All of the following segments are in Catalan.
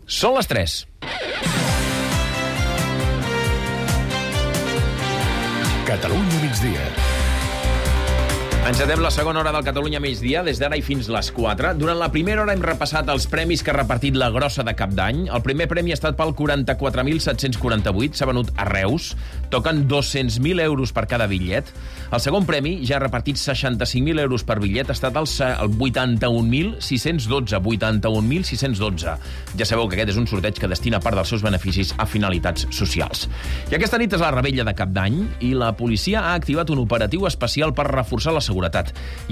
Són les 3. Catalunya migdia. Encetem la segona hora del Catalunya migdia, des d'ara i fins les 4. Durant la primera hora hem repassat els premis que ha repartit la Grossa de Cap d'Any. El primer premi ha estat pel 44.748, s'ha venut a Reus. Toquen 200.000 euros per cada bitllet. El segon premi, ja ha repartit 65.000 euros per bitllet, ha estat el 81.612. 81.612. Ja sabeu que aquest és un sorteig que destina part dels seus beneficis a finalitats socials. I aquesta nit és la rebella de Cap d'Any i la policia ha activat un operatiu especial per reforçar la seguretat.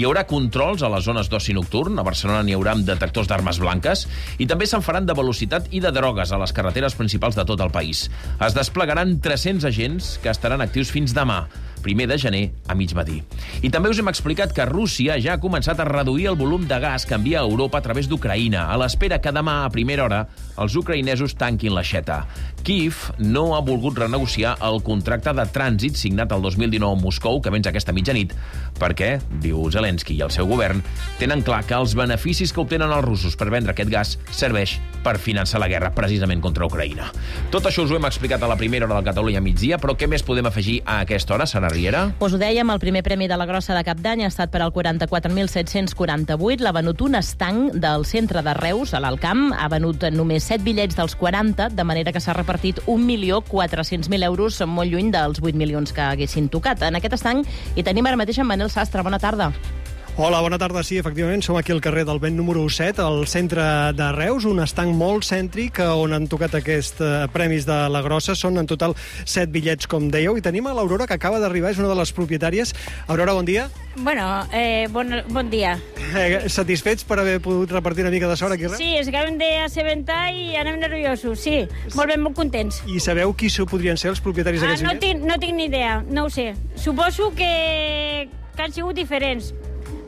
Hi haurà controls a les zones d'oci nocturn, a Barcelona n'hi haurà amb detectors d'armes blanques, i també se'n faran de velocitat i de drogues a les carreteres principals de tot el país. Es desplegaran 300 agents que estaran actius fins demà, 1 de gener a migmatí. I també us hem explicat que Rússia ja ha començat a reduir el volum de gas que envia a Europa a través d'Ucraïna, a l'espera que demà, a primera hora, els ucraïnesos tanquin l'aixeta. Kíev no ha volgut renegociar el contracte de trànsit signat el 2019 a Moscou, que venç aquesta mitjanit, perquè, diu Zelensky i el seu govern, tenen clar que els beneficis que obtenen els russos per vendre aquest gas serveix per finançar la guerra precisament contra Ucraïna. Tot això us ho hem explicat a la primera hora del Catalunya migdia, però què més podem afegir a aquesta hora, Sara Riera? Us ho dèiem, el primer premi de la Grossa de Cap d'Any ha estat per al 44.748. L'ha venut un estanc del centre de Reus, a l'Alcamp. Ha venut només 7 bitllets dels 40, de manera que s'ha repartit 1.400.000 euros, molt lluny dels 8 milions que haguessin tocat. En aquest estanc hi tenim ara mateix en Manel Sastre. Bona tarda. Hola, bona tarda. Sí, efectivament, som aquí al carrer del Vent número 7, al centre de Reus, un estanc molt cèntric on han tocat aquests premis de la Grossa. Són en total 7 bitllets, com dèieu, i tenim a l'Aurora, que acaba d'arribar, és una de les propietàries. Aurora, bon dia. Bueno, bon dia. Satisfets per haver pogut repartir una mica de sort aquí a Reus? Sí, ens acabem d'assabentar i anem nerviosos, sí. Molt ben, molt contents. I sabeu qui podrien ser els propietaris d'aquests bitllets? No tinc ni idea, no ho sé. Suposo que han sigut diferents,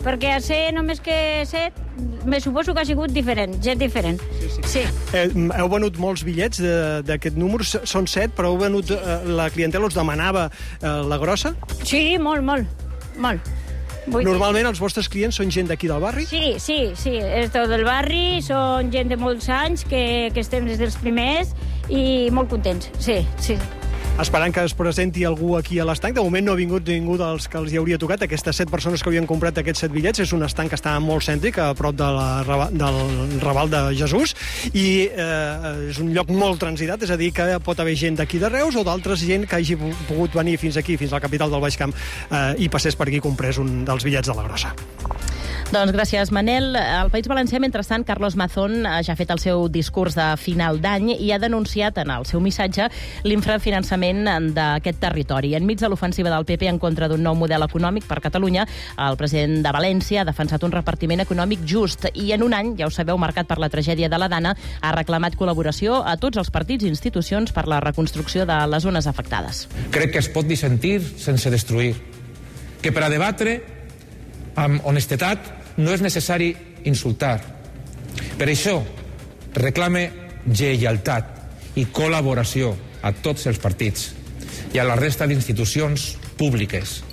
perquè a ser només que 7, me suposo que ha sigut diferent, gent diferent. Sí. Heu venut molts bitllets d'aquest número, són 7, però heu venut, la clientela us demanava la Grossa? Sí, molt. Normalment els vostres clients són gent d'aquí del barri? Sí, és tot del barri, són gent de molts anys que estem des dels primers i molt contents, sí. Esperant que es presenti algú aquí a l'estanc. De moment no ha vingut ningú dels que els hi hauria tocat. Aquestes 7 persones que havien comprat aquests 7 bitllets. És un estanc que està molt cèntric, a prop del Raval de Jesús, i és un lloc molt transitat, és a dir, que pot haver gent d'aquí de Reus o d'altres gent que hagi pogut venir fins aquí, fins a la capital del Baix Camp, i passés per aquí i comprés un dels bitllets de la Grossa. Doncs gràcies, Manel. Al País Valencià, mentrestant, Carlos Mazón ja ha fet el seu discurs de final d'any i ha denunciat en el seu missatge l'infrafinançament d'aquest territori. Enmig de l'ofensiva del PP en contra d'un nou model econòmic per Catalunya, el president de València ha defensat un repartiment econòmic just i en un any, ja ho sabeu, marcat per la tragèdia de la Dana, ha reclamat col·laboració a tots els partits i institucions per la reconstrucció de les zones afectades. Crec que es pot dissentir sense destruir, que per a debatre amb honestedat no és necessari insultar. Per això reclame lleialtat i col·laboració a tots els partits i a la resta d'institucions públiques.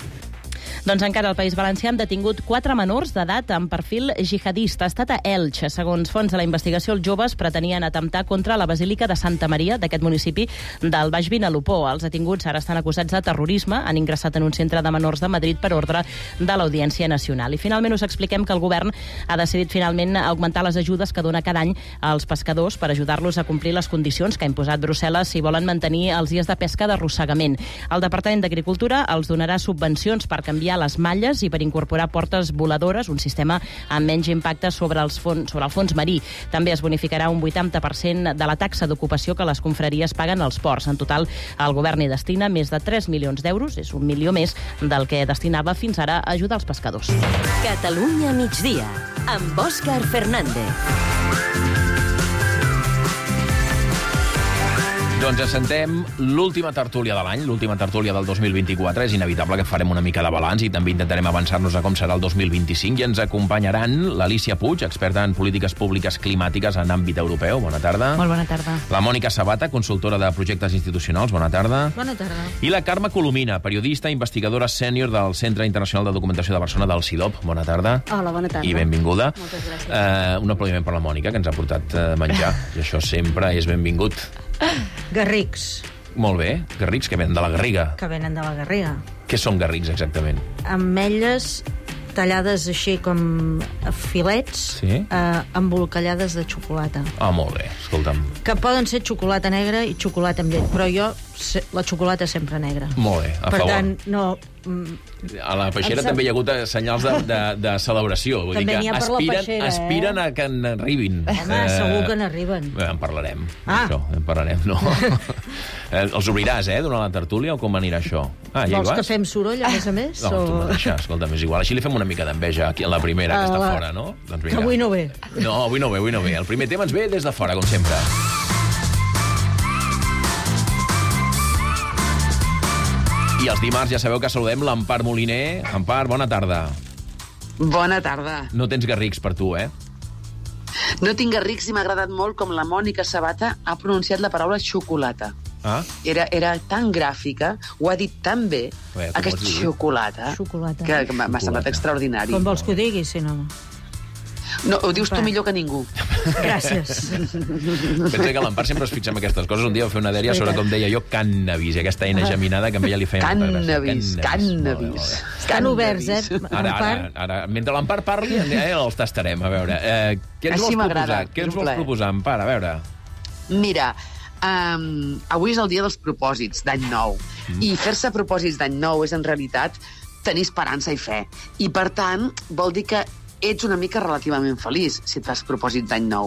Doncs encara al País Valencià han detingut 4 menors d'edat amb perfil jihadista. Ha estat a Elx. Segons fonts de la investigació, els joves pretenien atemptar contra la Basílica de Santa Maria d'aquest municipi del Baix Vinalopó. Els detinguts ara estan acusats de terrorisme. Han ingressat en un centre de menors de Madrid per ordre de l'Audiència Nacional. I finalment us expliquem que el govern ha decidit finalment augmentar les ajudes que dona cada any als pescadors per ajudar-los a complir les condicions que ha imposat Brussel·les si volen mantenir els dies de pesca d'arrossegament. El Departament d'Agricultura els donarà subvencions per canviar les malles i per incorporar portes voladores, un sistema amb menys impacte sobre el fons marí. També es bonificarà un 80% de la taxa d'ocupació que les confraries paguen als ports. En total, el govern hi destina més de 3 milions d'euros, és 1 milió més del que destinava fins ara a ajudar els pescadors. Catalunya migdia, amb Òscar Fernández. Doncs assentem l'última tertúlia de l'any, l'última tertúlia del 2024. És inevitable que farem una mica de balanç i també intentarem avançar-nos a com serà el 2025. I ens acompanyaran l'Alícia Puig, experta en polítiques públiques climàtiques en àmbit europeu. Bona tarda. Molt bona tarda. La Mònica Sabata, consultora de projectes institucionals. Bona tarda. Bona tarda. I la Carme Colomina, periodista i investigadora sènior del Centre Internacional de Documentació de Barcelona, del CIDOB. Bona tarda. Hola, bona tarda. I benvinguda. Moltes gràcies. Un aplaudiment per la Mònica, que ens ha portat menjar. I això sempre és benvingut. Garrics, Molt bé. Garrics que venen de la Garriga. que venen de la Garriga. Què són garrics, exactament? Ametlles tallades així com a filets, Sí. embolcallades de xocolata. Ah, molt bé. Escolta'm. Que poden ser xocolata negra i xocolata amb llet, però jo, la xocolata sempre negra. Molt bé, a Per favor. tant, no... A la peixera Em sap- també hi ha hagut senyals de celebració. Vull També dir n'hi que ha per la peixera, aspiren a que n'arribin. Home, segur que n'arriben. En parlarem. Ah. Això, en parlarem, no. Els obriràs, durant la tertúlia, o com anirà això? Ah, ja hi Vols vas? que fem soroll, a més? No, tu mateixa, escolta'm, és igual. Així li fem una mica d'enveja aquí a la primera, que està la- fora, no? Doncs Que avui no ve. No, avui no ve. El primer tema ens ve des de fora, com sempre. I els dimarts ja sabeu que saludem l'Empar Moliner. Empar, bona tarda. Bona tarda. No tens garrics per tu, No tinc garrics i m'ha agradat molt com la Mònica Sabata ha pronunciat la paraula xocolata. Ah? Era tan gràfica, ho ha dit tan bé, Bé, tu aquest pots dir. xocolata, Xocolata. que m'ha semblat extraordinari. Com vols que ho digui, si no? No, ho dius tu millor que ningú. Gràcies. Pensa que l'Empar sempre es fixa en aquestes coses. Un dia va fer una dèria sobre com deia jo cannabis, i aquesta eina geminada que a ella li feia molta gràcia. Cannabis. Estan oberts, Ara, mentre l'Empar parli, els tastarem. A veure, què ens Així vols m'agrada, proposar? Què és ens un vols plaer. proposar, Empar? A veure. Mira, avui és el dia dels propòsits d'any nou. I fer-se propòsits d'any nou és, en realitat, tenir esperança i fe. I, per tant, vol dir que ets una mica relativament feliç si et fas propòsits d'any nou.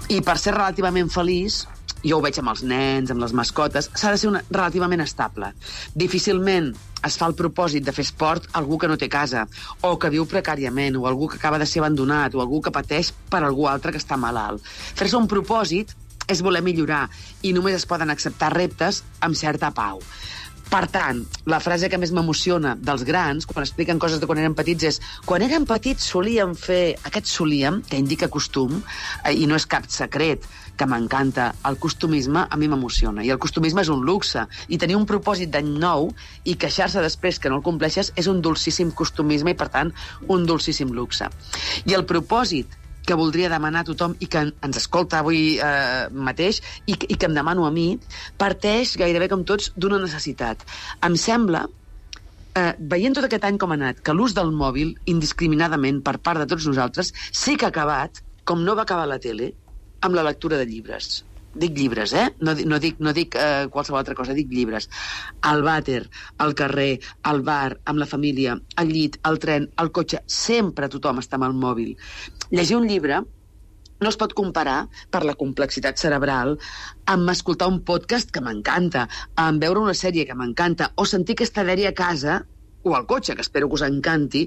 I per ser relativament feliç, jo ho veig amb els nens, amb les mascotes, s'ha de ser relativament estable. Difícilment es fa el propòsit de fer esport algú que no té casa, o que viu precàriament, o algú que acaba de ser abandonat, o algú que pateix per algú altre que està malalt. Fer-se un propòsit és voler millorar, i només es poden acceptar reptes amb certa pau. Per tant, la frase que més m'emociona dels grans, quan expliquen coses de quan eren petits, és quan érem petits solíem fer... Aquest solíem, que indica costum, i no és cap secret, que m'encanta. El costumisme a mi m'emociona, i el costumisme és un luxe, i tenir un propòsit d'any nou i queixar-se després que no el compleixes és un dolcíssim costumisme i, per tant, un dolcíssim luxe. I el propòsit que voldria demanar a tothom i que ens escolta avui mateix i que em demano a mi, parteix gairebé com tots d'una necessitat. Em sembla, veient tot aquest any com ha anat, que l'ús del mòbil, indiscriminadament per part de tots nosaltres, sí que ha acabat, com no va acabar la tele, amb la lectura de llibres. Dic llibres, No dic qualsevol altra cosa, dic llibres. Al vàter, al carrer, al bar, amb la família, al llit, al tren, al cotxe, sempre tothom està amb el mòbil. Llegir un llibre no es pot comparar, per la complexitat cerebral, amb escoltar un podcast que m'encanta, amb veure una sèrie que m'encanta, o sentir aquesta dèria a casa o al cotxe, que espero que us encanti,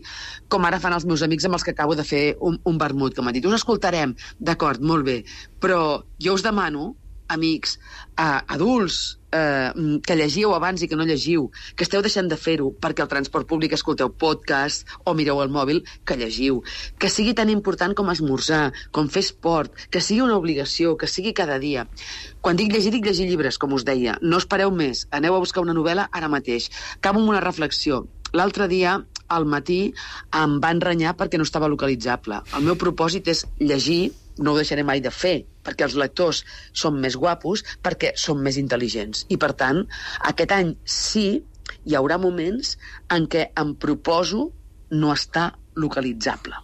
com ara fan els meus amics amb els que acabo de fer un vermut, que m'han dit, us escoltarem, d'acord, molt bé, però jo us demano, amics, adults, que llegiu abans i que no llegiu, que esteu deixant de fer-ho perquè al transport públic escolteu podcast o mireu el mòbil, que llegiu. Que sigui tan important com esmorzar, com fer esport, que sigui una obligació, que sigui cada dia. Quan dic llegir llibres, com us deia. No espereu més, aneu a buscar una novel·la ara mateix. Acabo amb una reflexió. L'altre dia, al matí, em van renyar perquè no estava localitzable. El meu propòsit és llegir, no ho deixaré mai de fer, perquè els lectors són més guapos, perquè són més intel·ligents. I, per tant, aquest any sí, hi haurà moments en què em proposo no estar localitzable.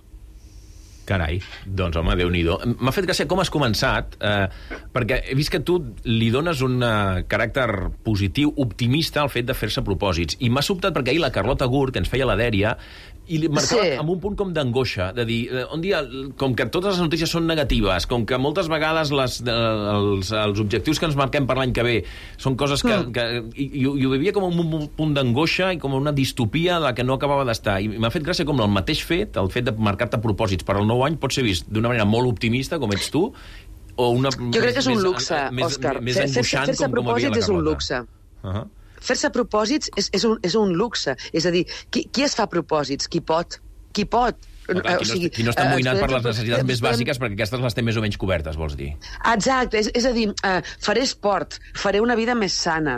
Carai, doncs home, Déu-n'hi-do. M'ha fet gràcia com has començat, perquè he vist que tu li dones un caràcter positiu, optimista al fet de fer-se propòsits. I m'ha sobtat perquè ahir la Carlota Gurt, que ens feia la dèria, i li marcava amb un punt com d'angoixa, de dir, un dia, com que totes les notícies són negatives, com que moltes vegades els objectius que ens marquem per l'any que ve són coses que i ho vivia com un punt d'angoixa i com una distopia de la que no acabava d'estar. I m'ha fet gràcia com el mateix fet, el fet de marcar-te propòsits per al nou any, pot ser vist d'una manera molt optimista, com ets tu, Jo crec que és un luxe, Òscar. Més angoixant Fer-se com havia la propòsits és un Carlota. luxe. Fer-se propòsits és un luxe. És a dir, qui es fa propòsits? Qui pot? Qui pot? Qui no està amoïnat per les necessitats més bàsiques, perquè aquestes les té més o menys cobertes, vols dir? Exacte, és a dir, faré esport, faré una vida més sana,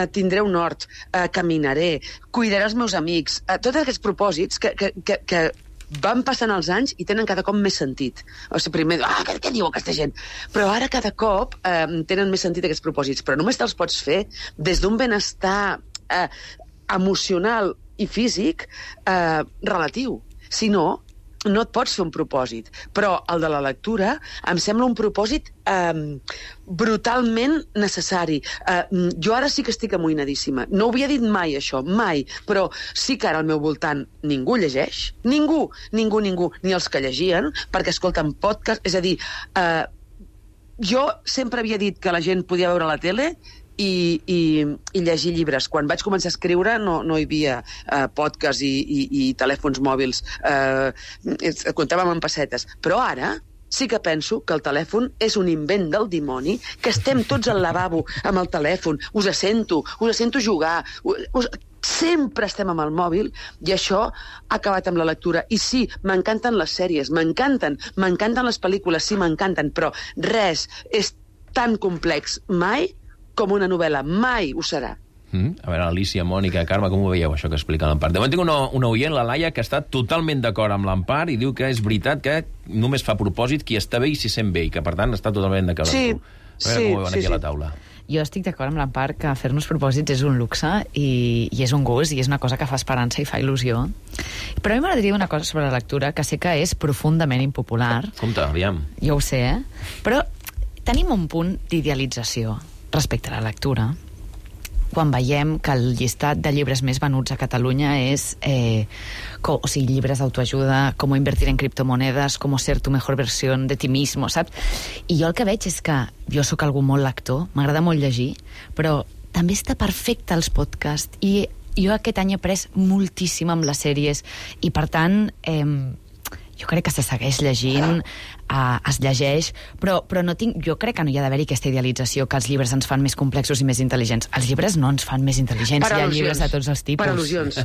tindré un hort, caminaré, cuidaré els meus amics, tots aquests propòsits que van passant els anys i tenen cada cop més sentit. O sigui, primer, què diu aquesta gent? Però ara cada cop tenen més sentit aquests propòsits, però només te'ls pots fer des d'un benestar emocional i físic relatiu. Si no, no et pots fer un propòsit. Però el de la lectura em sembla un propòsit brutalment necessari. Jo ara sí que estic amoïnadíssima. No ho havia dit mai, això, mai. Però sí que ara al meu voltant ningú llegeix. Ningú. Ni els que llegien, perquè escolten podcast. És a dir, jo sempre havia dit que la gent podia veure la tele i llegir llibres. Quan vaig començar a escriure no hi havia podcast i telèfons mòbils, comptàvem en pessetes, però ara sí que penso que el telèfon és un invent del dimoni, que estem tots al lavabo amb el telèfon, us sento jugar, sempre estem amb el mòbil, i això ha acabat amb la lectura. I sí, m'encanten les sèries, m'encanten les pel·lícules, sí, m'encanten, però res és tan complex mai com una novel·la, mai ho serà. A veure, Alicia, Mònica, Carme, com ho veieu, això que explica l'Empar? De moment tinc una oient, la Laia, que està totalment d'acord amb l'Empar i diu que és veritat que només fa propòsit qui està bé i s'hi sent bé, i que, per tant, està totalment d'acord amb tu. A veure com ho veuen aquí a la taula. Jo estic d'acord amb l'Empar que fer-nos propòsits és un luxe i és un gust i és una cosa que fa esperança i fa il·lusió. Però a mi m'agradaria una cosa sobre la lectura que sé que és profundament impopular. Compte, aviam. Jo ho sé, Però tenim un punt d'idealització respecte a la lectura quan veiem que el llistat de llibres més venuts a Catalunya és llibres d'autoajuda, com invertir en criptomonedes, com ser tu mejor versión de ti mismo, saps? I jo el que veig és que jo sóc algú molt lector, m'agrada molt llegir, però també està perfecte els podcasts, i jo aquest any he après moltíssim amb les sèries, i per tant jo crec que se segueix llegint, es llegeix, però no tinc, jo crec que no hi ha d'haver-hi aquesta idealització que els llibres ens fan més complexos i més intel·ligents. Els llibres no ens fan més intel·ligents, hi ha llibres de tots els tipus. Per al·lusions.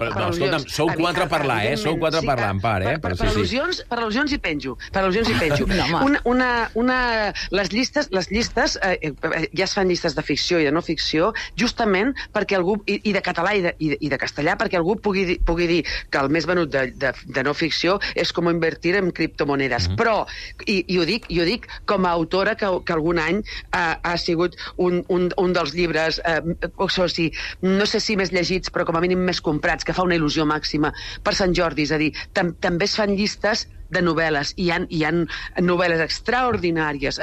Però escolta'm, sou quatre a parlar, Sou quatre a parlar, Empar, Per al·lusions hi penjo. Les llistes, ja es fan llistes de ficció i de no ficció, justament perquè algú, i de català i de castellà, perquè algú pugui dir que el més venut de no ficció és com invertir en criptomonedes. Però, i ho dic com a autora que algun any ha sigut un dels llibres, no sé si més llegits, però com a mínim més comprats, que fa una il·lusió màxima per Sant Jordi. És a dir, també es fan llistes de novel·les, i hi ha novel·les extraordinàries,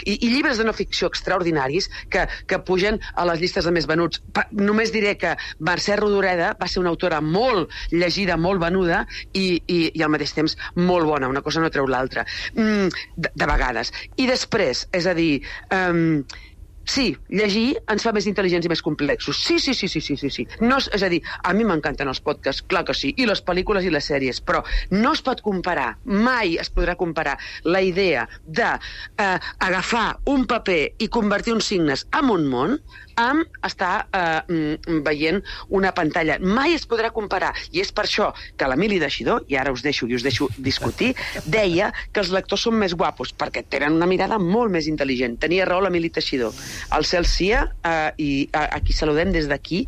i llibres de no ficció extraordinaris que pugen a les llistes de més venuts. Només diré que Mercè Rodoreda va ser una autora molt llegida, molt venuda, i al mateix temps molt bona, una cosa no treu l'altra, de vegades. I després, és a dir, sí, llegir ens fa més intel·ligents i més complexos. Sí. No, és a dir, a mi m'encanten els podcasts, clar que sí, i les pel·lícules i les sèries, però no es pot comparar, mai es podrà comparar la idea d'agafar un paper i convertir uns signes en un món amb estar veient una pantalla. Mai es podrà comparar, i és per això que l'Emili Teixidor, i ara us deixo discutir, deia que els lectors són més guapos, perquè tenen una mirada molt més intel·ligent. Tenia raó l'Emili Teixidor. El cel sia, i a qui saludem des d'aquí,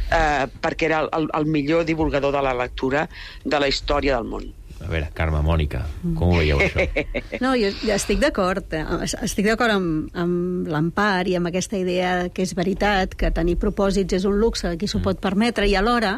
perquè era el millor divulgador de la lectura de la història del món. A veure, Carme, Mònica, com ho veieu, això? No, jo estic d'acord. Estic d'acord amb l'Empar i amb aquesta idea que és veritat, que tenir propòsits és un luxe, qui s'ho pot permetre, i alhora,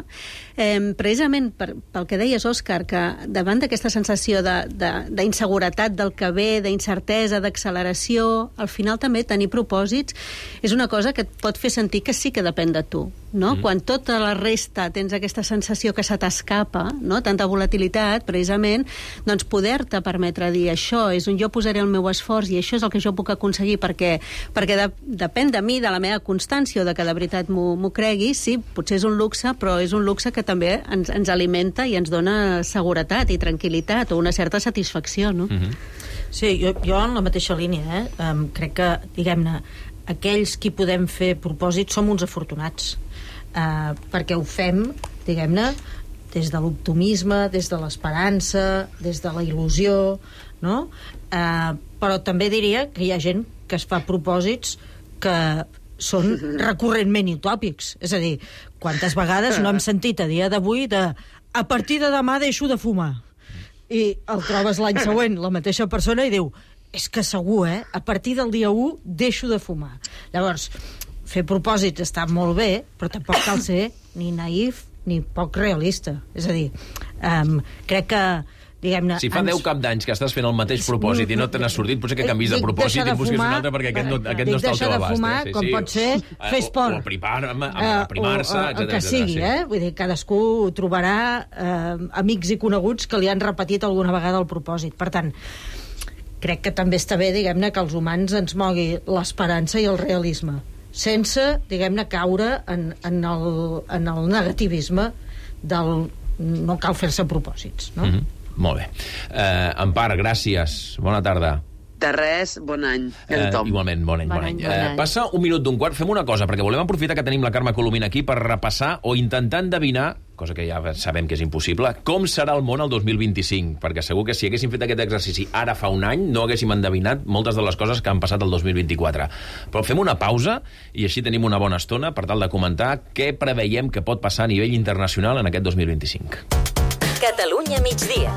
precisament pel que deies, Òscar, que davant d'aquesta sensació d'inseguretat del que ve, d'incertesa, d'acceleració, al final també tenir propòsits és una cosa que et pot fer sentir que sí que depèn de tu. no? Quan tota la resta tens aquesta sensació que se t'escapa, no? Tanta volatilitat, precisament, doncs poder-te permetre dir això és on jo posaré el meu esforç i això és el que jo puc aconseguir perquè depèn de mi, de la meva constància o de que de veritat m'ho cregui, sí, potser és un luxe, però és un luxe que també ens alimenta i ens dona seguretat i tranquil·litat o una certa satisfacció, no? Sí, jo en la mateixa línia, crec que, diguem-ne, aquells qui podem fer propòsits som uns afortunats, perquè ho fem, diguem-ne, des de l'optimisme, des de l'esperança, des de la il·lusió, no? Però també diria que hi ha gent que es fa propòsits que són recurrentment utòpics. És a dir, quantes vegades no hem sentit a dia d'avui a partir de demà deixo de fumar. I el trobes l'any següent, la mateixa persona, i diu, és que segur, a partir del dia 1 deixo de fumar. Llavors, fer propòsits està molt bé, però tampoc cal ser ni naïf ni poc realista. És a dir, crec que, diguem-ne... Si fa 10 cap d'anys que estàs fent el mateix propòsit i no te n'has sortit, potser que canvis de propòsit i busquis un altre perquè aquest no està al teu abast. Deixar de fumar, com pot ser, fer esport. O aprimar-se, etc. El que sigui, Vull dir, cadascú trobarà amics i coneguts que li han repetit alguna vegada el propòsit. Per tant, crec que també està bé, diguem-ne, que els humans ens mogui l'esperança i el realisme, sense, diguem-ne, caure en el negativisme del no cal fer-se propòsits, no? Molt bé. Empar, gràcies. Bona tarda. De res, bon any. Igualment, bon any. Passa 1 minut d'un quart. Fem una cosa, perquè volem aprofitar que tenim la Carme Colomina aquí per repassar o intentar endevinar, cosa que ja sabem que és impossible, com serà el món el 2025, perquè segur que si haguéssim fet aquest exercici ara fa un any no haguéssim endevinat moltes de les coses que han passat el 2024. Però fem una pausa i així tenim una bona estona per tal de comentar què preveiem que pot passar a nivell internacional en aquest 2025. Catalunya migdia.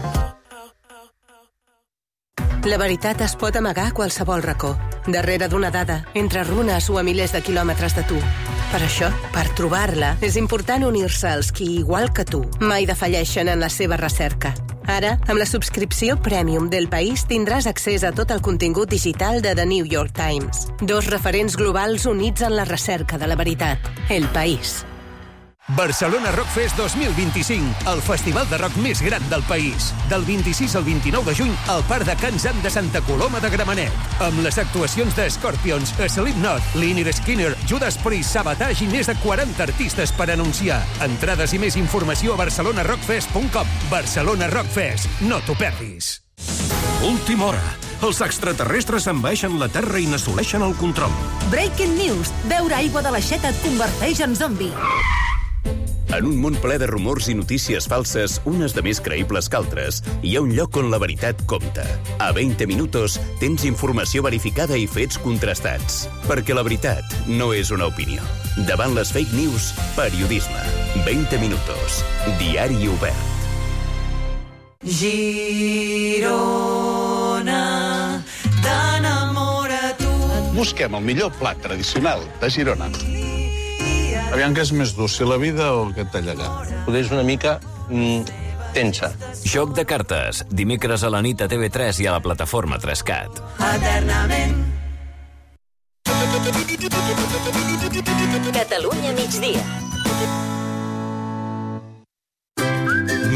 La veritat es pot amagar a qualsevol racó, darrere d'una dada, entre runes o a milers de quilòmetres de tu. Per això, per trobar-la, és important unir-se als qui, igual que tu, mai defalleixen en la seva recerca. Ara, amb la subscripció Premium del País tindràs accés a tot el contingut digital de The New York Times. 2 referents globals units en la recerca de la veritat. El País. Barcelona Rock Fest 2025, el festival de rock més gran del país. Del 26 al 29 de juny al Parc de Can Zan de Santa Coloma de Gramenet. Amb les actuacions de Scorpions, Slipknot, Lynyrd Skynyrd, Judas Priest, Savatage i més de 40 artistes per anunciar. Entrades i més informació a barcelonarockfest.com. Barcelona Rock Fest, no t'ho perdis. Última hora. Els extraterrestres envaeixen la Terra i n'assoleixen el control. Breaking news. Beure aigua de l'aixeta et converteix en zombi. En un món ple de rumors i notícies falses, unes de més creïbles que altres, hi ha un lloc on la veritat compta. A 20 minutos tens informació verificada i fets contrastats. Perquè la veritat no és una opinió. Davant les fake news, periodisme. 20 minutos. Diari obert. Girona, t'enamora tu. Busquem el millor plat tradicional de Girona. Aviam què és més dur, si la vida o aquest tallagat. Poder és una mica tensa. Joc de cartes, dimecres a la nit a TV3 i a la plataforma 3CAT. Eternament. Catalunya migdia.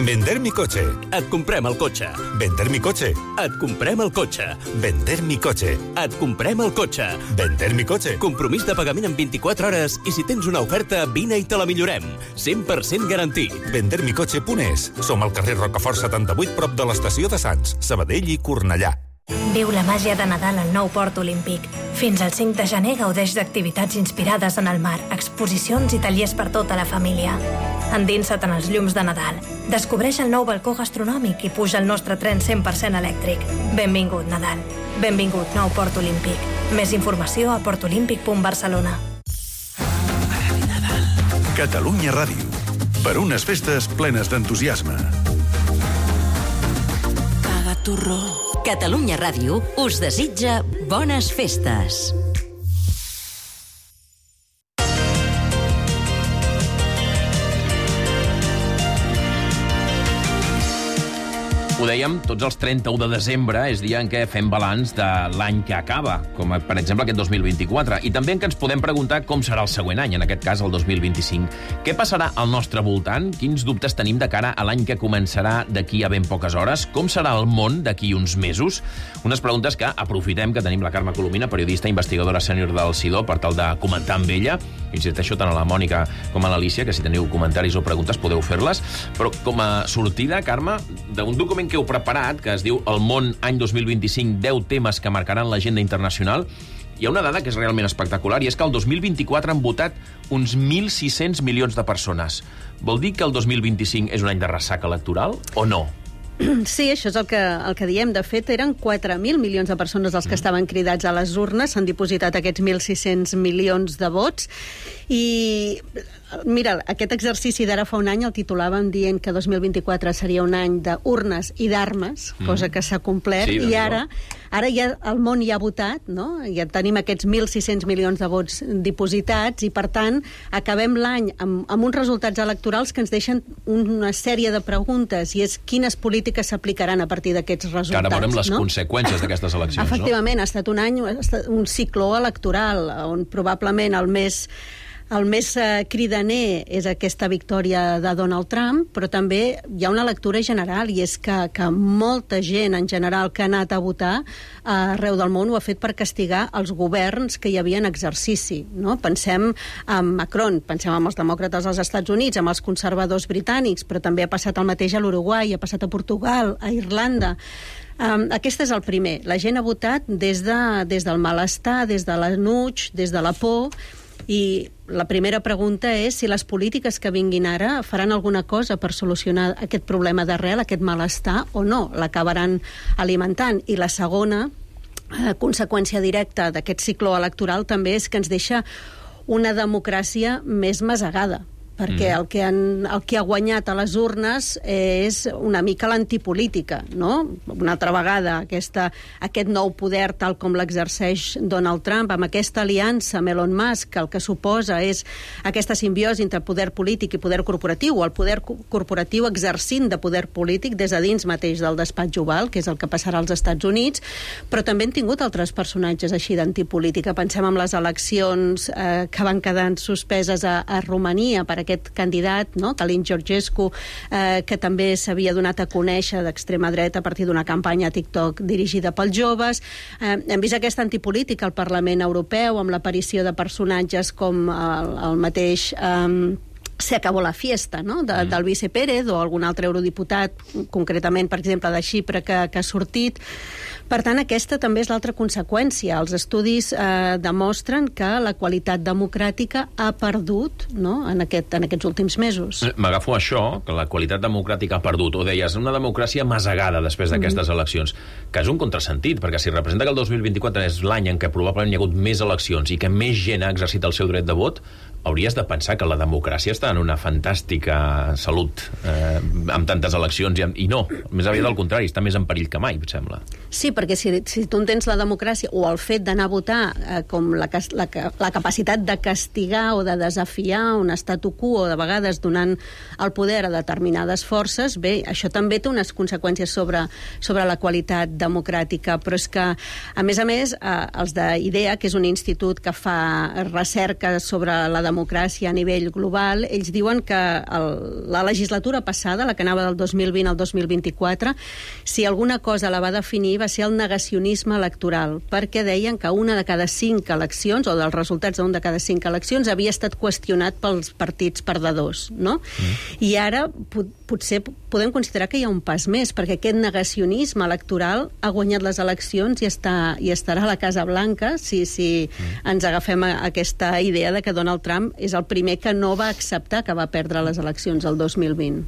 Vender mi coche. Et comprem el cotxe. Vender mi coche. Et comprem el cotxe. Vender mi coche. Et comprem el cotxe. Vender mi coche. Compromís de pagament en 24 hores i si tens una oferta, vine i te la millorem. 100% garantit. Vendermicoche.es. Som al carrer Rocafort 78, prop de l'estació de Sants, Sabadell i Cornellà. Viu la màgia de Nadal al nou Port Olímpic. Fins al 5 de gener gaudeix d'activitats inspirades en el mar, exposicions i tallers per tota la família. Endinsa't en els llums de Nadal. Descobreix el nou balcó gastronòmic i puja al nostre tren 100% elèctric. Benvingut, Nadal. Benvingut, nou Port Olímpic. Més informació a portolímpic.barcelona. Catalunya Ràdio. Per unes festes plenes d'entusiasme. Caga turró. Catalunya Ràdio us desitja bones festes. Ho dèiem, tots els 31 de desembre és dia en què fem balanç de l'any que acaba, com per exemple aquest 2024, i també en què ens podem preguntar com serà el següent any, en aquest cas el 2025. Què passarà al nostre voltant? Quins dubtes tenim de cara a l'any que començarà d'aquí a ben poques hores? Com serà el món d'aquí uns mesos? Unes preguntes que aprofitem que tenim la Carme Colomina, periodista investigadora sènior del CIDO, per tal de comentar amb ella. Insisteixo tant a la Mònica com a l'Alícia, que si teniu comentaris o preguntes podeu fer-les. Però com a sortida, Carme, d'un document que heu preparat, que es diu El món any 2025, 10 temes que marcaran l'agenda internacional, hi ha una dada que és realment espectacular, i és que el 2024 han votat uns 1.600 milions de persones. Vol dir que el 2025 és un any de ressaca electoral o no? Sí, això és el que diem. De fet, eren 4.000 milions de persones els que estaven cridats a les urnes. S'han dipositat aquests 1.600 milions de vots. I, mira, aquest exercici d'ara fa un any el titulàvem dient que 2024 seria un any d'urnes i d'armes, cosa que s'ha complert, i ara ja el món ja ha votat, no? Ja tenim aquests 1.600 milions de vots dipositats, i per tant acabem l'any amb uns resultats electorals que ens deixen una sèrie de preguntes, i és quines polítiques s'aplicaran a partir d'aquests resultats. Que ara veurem les conseqüències d'aquestes eleccions, Efectivament, ha estat un any, un cicló electoral, on probablement el més cridaner és aquesta victòria de Donald Trump, però també hi ha una lectura general, i és que molta gent en general que ha anat a votar arreu del món ho ha fet per castigar els governs que hi havia en exercici, no? Pensem en Macron, pensem en els demòcrates als Estats Units, amb els conservadors britànics, però també ha passat el mateix a l'Uruguai, ha passat a Portugal, a Irlanda. Aquest és el primer. La gent ha votat des del malestar, des de l'enuig, des de la por, i la primera pregunta és si les polítiques que vinguin ara faran alguna cosa per solucionar aquest problema d'arrel, aquest malestar, o no, l'acabaran alimentant. I la segona conseqüència directa d'aquest cicló electoral també és que ens deixa una democràcia més masegada, perquè el que ha guanyat a les urnes és una mica l'antipolítica, no? Una altra vegada, aquest nou poder tal com l'exerceix Donald Trump, amb aquesta aliança amb Elon Musk, el que suposa és aquesta simbiosi entre poder polític i poder corporatiu, o el poder corporatiu exercint de poder polític des de dins mateix del despatx oval, que és el que passarà als Estats Units, però també han tingut altres personatges així d'antipolítica. Pensem en les eleccions que van quedar suspeses a Romania per aquest candidat, no? Calin Georgescu, que també s'havia donat a conèixer d'extrema dreta a partir d'una campanya a TikTok dirigida pels joves. Hem vist aquesta antipolítica al Parlament Europeu, amb l'aparició de personatges com el mateix Se acabó la fiesta, no? Del vice Pérez, o algun altre eurodiputat, concretament, per exemple, de Xipre, que ha sortit. Per tant, aquesta també és l'altra conseqüència. Els estudis demostren que la qualitat democràtica ha perdut, no? en aquests últims mesos. M'agafo això, que la qualitat democràtica ha perdut, o deies, una democràcia masegada després d'aquestes eleccions, que és un contrasentit, perquè si representa que el 2024 és l'any en què probablement hi ha hagut més eleccions i que més gent ha exercit el seu dret de vot, hauries de pensar que la democràcia està en una fantàstica salut amb tantes eleccions, i no, més aviat al contrari, està més en perill que mai, em sembla. Sí, perquè si tu entens la democràcia o el fet d'anar a votar com la capacitat de castigar o de desafiar un statu quo, de vegades donant el poder a determinades forces, bé, això també té unes conseqüències sobre la qualitat democràtica, però és que, a més, els d'IDEA, que és un institut que fa recerca sobre la democràcia a nivell global, ells diuen que la legislatura passada, la que anava del 2020 al 2024, si alguna cosa la va definir va ser el negacionisme electoral, perquè deien que una de cada 5 eleccions, o dels resultats d'una de cada 5 eleccions, havia estat qüestionat pels partits perdedors, no? I ara potser podem considerar que hi ha un pas més, perquè aquest negacionisme electoral ha guanyat les eleccions i estarà a la Casa Blanca si ens agafem aquesta idea de que Donald Trump és el primer que no va acceptar que va perdre les eleccions el 2020.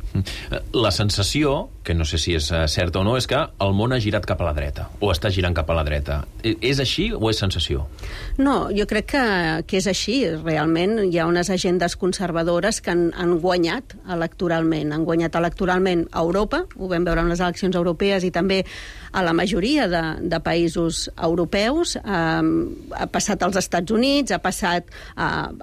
La sensació, que no sé si és certa o no, és que el món ha girat cap a la dreta, o està girant cap a la dreta. És així o és sensació? No, jo crec que és així. Realment hi ha unes agendes conservadores que han guanyat electoralment. Han guanyat electoralment a Europa, ho vam veure en les eleccions europees, i també a la majoria de països europeus, ha passat als Estats Units, ha passat a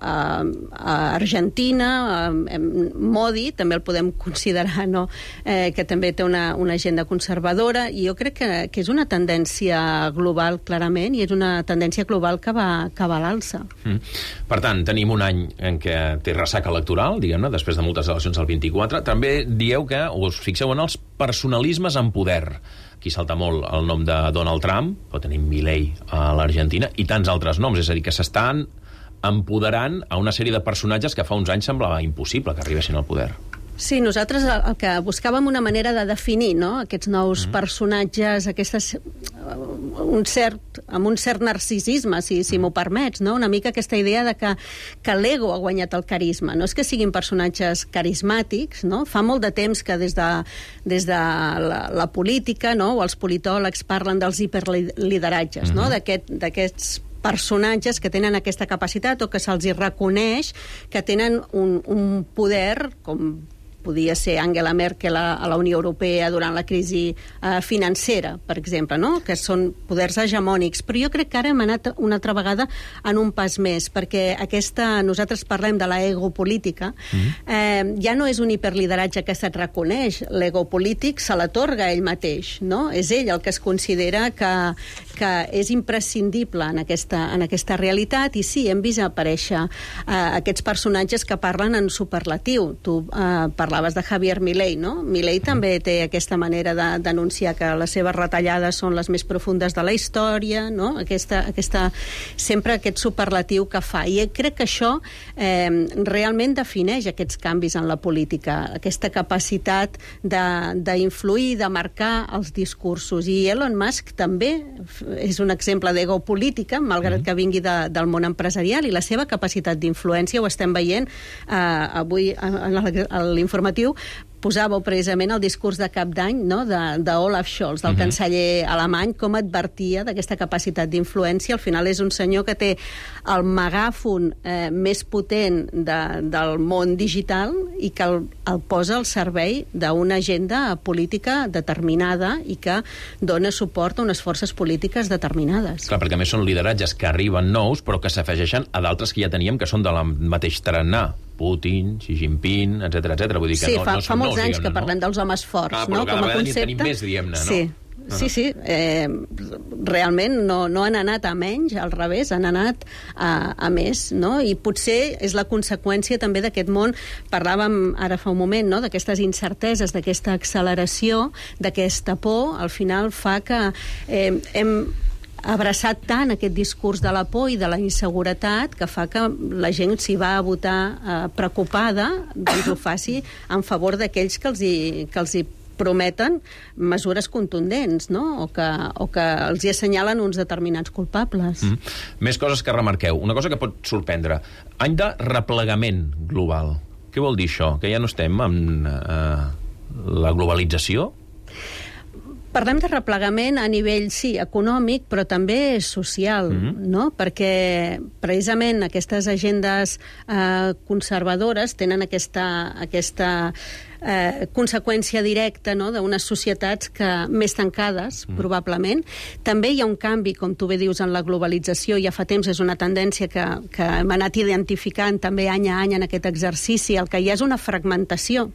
Argentina, Modi, també el podem considerar, no? Que també té una agenda conservadora, i jo crec que és una tendència global, clarament, i és una tendència global que va a l'alça. Per tant, tenim un any en què té ressaca electoral, diguem-ne, després de moltes eleccions al 24. També dieu que us fixeu en els personalismes en poder. Aquí salta molt el nom de Donald Trump, però tenim Milei a l'Argentina, i tants altres noms, és a dir, que s'estan empoderant a una sèrie de personatges que fa uns anys semblava impossible que arribessin al poder. Sí, nosaltres el que buscàvem una manera de definir, no?, aquests nous personatges, amb un cert narcisisme, si m'ho permets, no?, una mica aquesta idea de que l'ego ha guanyat el carisma. No és que siguin personatges carismàtics, no? Fa molt de temps que des de la política, no?, o els politòlegs parlen dels hiperlideratges, no?, d'aquests personatges que tenen aquesta capacitat o que se'ls hi reconeix que tenen un poder, com podia ser Angela Merkel a la Unió Europea durant la crisi financera, per exemple, no?, que són poders hegemònics. Però jo crec que ara hem anat una altra vegada en un pas més, perquè nosaltres parlem de l'ego política, ja no és un hiperlideratge que se't reconeix, l'ego polític se l'atorga ell mateix, no? És ell el que es considera que és imprescindible en aquesta realitat, i sí, hem vist aparèixer aquests personatges que parlen en superlatiu. Tu parlaves de Javier Milei, no? Milei també té aquesta manera d'anunciar que les seves retallades són les més profundes de la història, no? Sempre aquest superlatiu que fa. I crec que això realment defineix aquests canvis en la política, aquesta capacitat d'influir, de marcar els discursos. I Elon Musk també és un exemple d'ego política, malgrat que vingui del món empresarial, i la seva capacitat d'influència ho estem veient avui a l'informatiu. Posàveu precisament el discurs de cap d'any, no?, d'Olaf Scholz, del canceller alemany, com advertia d'aquesta capacitat d'influència. Al final és un senyor que té el megàfon més potent del món digital i que el posa al servei d'una agenda política determinada i que dona suport a unes forces polítiques determinades. Clar, perquè a més són lideratges que arriben nous, però que s'afegeixen a d'altres que ja teníem, que són de la mateix tarannà. Putin, Xi Jinping, etc. Vull dir que sí, no fa són molts nous, anys que parlem dels homes forts, no? Com a concepte. Tenim més, diguem-ne, no? Sí. Sí. Realment no han anat a menys, al revés, han anat a més, no? I potser és la conseqüència també d'aquest món, parlàvem ara fa un moment, no?, d'aquestes incerteses, d'aquesta acceleració, d'aquesta por, al final fa que hem abraçat tant aquest discurs de la por i de la inseguretat que fa que la gent s'hi va a votar preocupada, doncs ho faci en favor d'aquells que els hi prometen mesures contundents, no?, o que els hi assenyalen uns determinats culpables. Més coses que remarqueu. Una cosa que pot sorprendre. Any de replegament global. Què vol dir això? Que ja no estem amb la globalització? Parlem de replegament a nivell, sí, econòmic, però també social, no? Perquè precisament aquestes agendes conservadores tenen aquesta conseqüència directa, no?, d'unes societats més tancades, probablement. També hi ha un canvi, com tu bé dius, en la globalització. Ja fa temps és una tendència que hem anat identificant també any a any en aquest exercici. El que hi ha és una fragmentació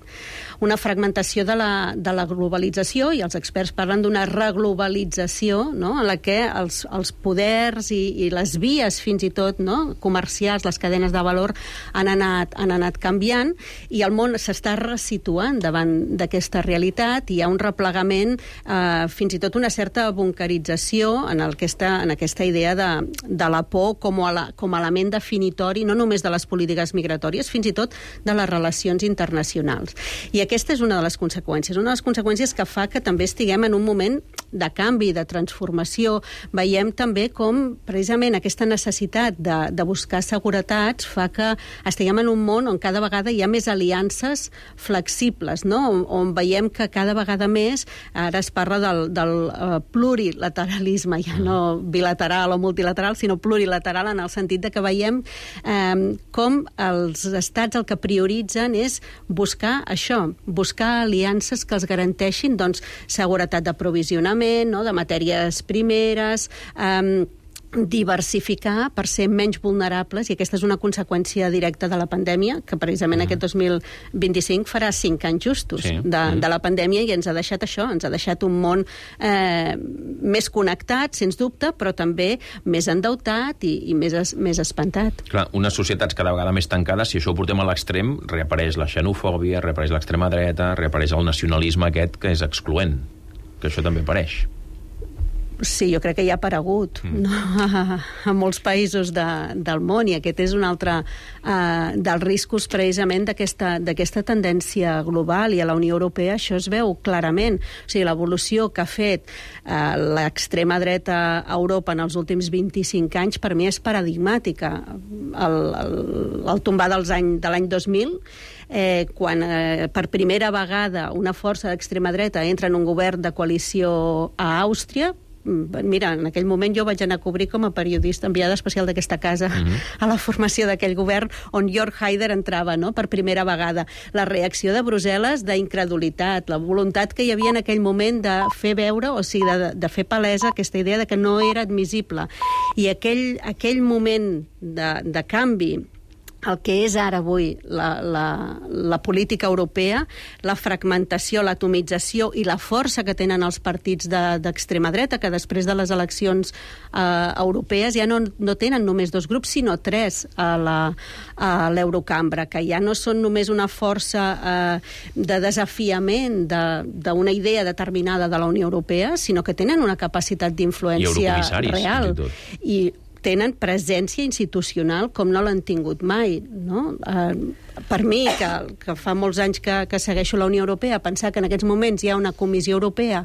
de la globalització, i els experts parlen d'una reglobalització, no?, en la que els poders i les vies, fins i tot, no?, comercials, les cadenes de valor han anat canviant, i el món s'està resituant davant d'aquesta realitat. Hi ha un replegament, fins i tot una certa bunkerització en aquesta idea de la por com a element definitori, no només de les polítiques migratòries, fins i tot de les relacions internacionals. I aquesta és una de les conseqüències que fa que també estiguem en un moment de canvi, de transformació. Veiem també com precisament aquesta necessitat de buscar seguretats fa que estiguem en un món on cada vegada hi ha més aliances flexibles possibles, no? On veiem que cada vegada més, ara es parla del plurilateralisme, ja no bilateral o multilateral, sinó plurilateral, en el sentit de que veiem com els estats el que prioritzen és buscar això, buscar aliances que els garanteixin seguretat d'aprovisionament, no? De matèries primeres, diversificar per ser menys vulnerables, i aquesta és una conseqüència directa de la pandèmia, que precisament aquest 2025 farà 5 anys justos de la pandèmia, i ens ha deixat això, ens ha deixat un món més connectat, sens dubte, però també més endeutat i més espantat. Clar, unes societats cada vegada més tancades, si això ho portem a l'extrem, reapareix la xenofòbia, reapareix l'extrema dreta, reapareix el nacionalisme aquest que és excloent, que això també apareix. Sí, jo crec que ja ha aparegut a molts països del món, i aquest és un altre dels riscos precisament d'aquesta tendència global, i a la Unió Europea això es veu clarament. O sigui, l'evolució que ha fet l'extrema dreta a Europa en els últims 25 anys per mi és paradigmàtica. El tombar de l'any 2000, quan per primera vegada una força d'extrema dreta entra en un govern de coalició a Àustria. Mira, en aquell moment jo vaig anar a cobrir com a periodista enviada especial d'aquesta casa a la formació d'aquell govern, on Jörg Haider entrava, no?, per primera vegada. La reacció de Brussel·les d'incredulitat, la voluntat que hi havia en aquell moment de fer veure, o sigui, de fer palesa aquesta idea de que no era admissible. I aquell moment de canvi, el que és ara avui la política europea, la fragmentació, l'atomització i la força que tenen els partits d'extrema dreta, que després de les eleccions europees ja no tenen només 2 grups, sinó 3 a l'Eurocambra, que ja no són només una força de desafiament d'una idea determinada de la Unió Europea, sinó que tenen una capacitat d'influència real. I tenen presència institucional com no l'han tingut mai, no? Per mi, que fa molts anys que segueixo la Unió Europea, pensar que en aquests moments hi ha una Comissió Europea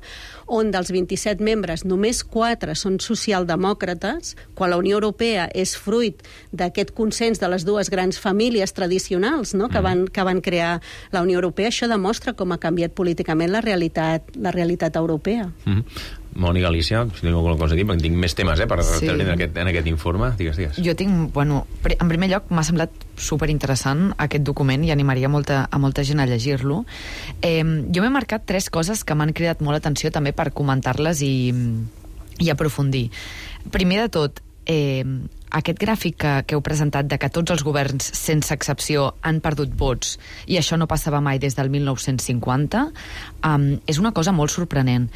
on dels 27 membres només 4 són socialdemòcrates, quan la Unió Europea és fruit d'aquest consens de les 2 grans famílies tradicionals, no?, que van crear la Unió Europea, això demostra com ha canviat políticament la realitat europea. Mònica, Alicia, si teniu alguna cosa a dir, perquè tinc més temes per treure en aquest informe. Digues. Jo tinc, en primer lloc, m'ha semblat superinteressant aquest document i animaria a molta gent a llegir-lo. Jo m'he marcat 3 coses que m'han cridat molt l'atenció també per comentar-les i aprofundir. Primer de tot, aquest gràfic que heu presentat de que tots els governs, sense excepció, han perdut vots, i això no passava mai des del 1950, és una cosa molt sorprenent.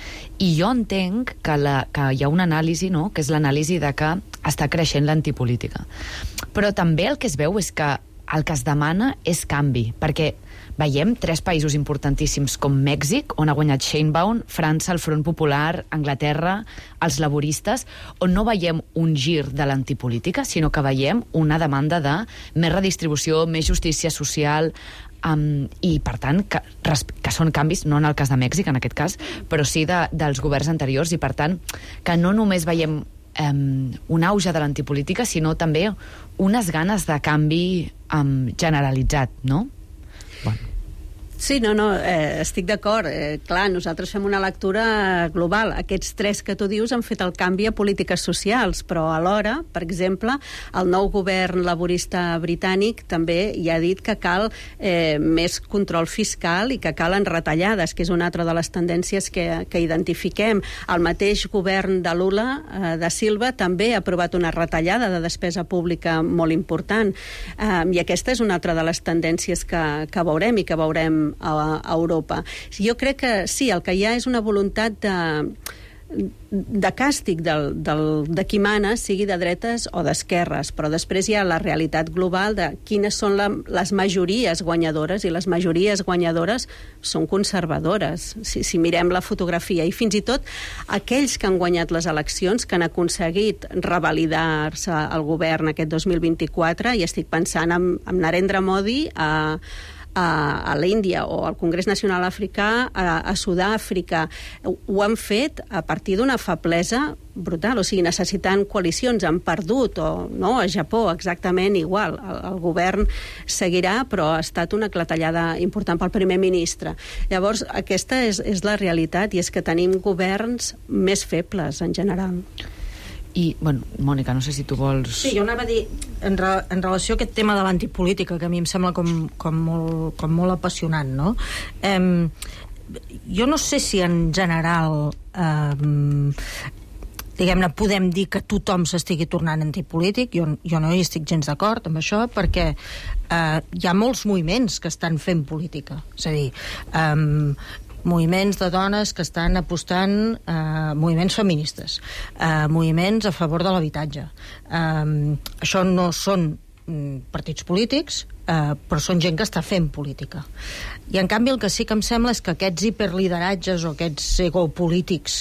I jo entenc que hi ha una anàlisi, no?, que és l'anàlisi de que està creixent l'antipolítica. Però també el que es veu és que el que es demana és canvi, perquè veiem 3 països importantíssims com Mèxic, on ha guanyat Sheinbaum, França, el Front Popular, Anglaterra, els laboristes, on no veiem un gir de l'antipolítica, sinó que veiem una demanda de més redistribució, més justícia social, i per tant que són canvis, no en el cas de Mèxic en aquest cas, però sí dels governs anteriors, i per tant que no només veiem un auge de l'antipolítica, sinó també unes ganes de canvi generalitzat, no? Sí, no, estic d'acord. Clar, nosaltres fem una lectura global. Aquests 3 que tu dius han fet el canvi a polítiques socials, però alhora, per exemple, el nou govern laborista britànic també ja ha dit que cal més control fiscal i que calen retallades, que és una altra de les tendències que identifiquem. El mateix govern de Lula, de Silva, també ha aprovat una retallada de despesa pública molt important. I aquesta és una altra de les tendències que veurem i que veurem a Europa. Jo crec que sí, el que hi ha és una voluntat de càstig de qui mana, sigui de dretes o d'esquerres, però després hi ha la realitat global de quines són les majories guanyadores, i les majories guanyadores són conservadores, si mirem la fotografia, i fins i tot aquells que han guanyat les eleccions, que han aconseguit revalidar-se el govern aquest 2024, i estic pensant en Narendra Modi a l'Índia o al Congrés Nacional Africà, a Sud-àfrica. Ho han fet a partir d'una feblesa brutal, o sigui, necessitant coalicions. Han perdut, o no, a Japó exactament igual. El govern seguirà, però ha estat una clatellada important pel primer ministre. Llavors, aquesta és la realitat, i és que tenim governs més febles en general. I, bueno, Mònica, no sé si tu vols... Sí, jo anava a dir, en relació a aquest tema de l'antipolítica, que a mi em sembla com molt apassionant, no? Jo no sé si en general diguem-ne, podem dir que tothom s'estigui tornant antipolític. Jo no hi estic gens d'acord amb això, perquè hi ha molts moviments que estan fent política. És a dir, moviments de dones que estan apostant, moviments feministes, moviments a favor de l'habitatge. Això no són partits polítics, però són gent que està fent política. I en canvi el que sí que em sembla és que aquests hiperlideratges o aquests egopolítics,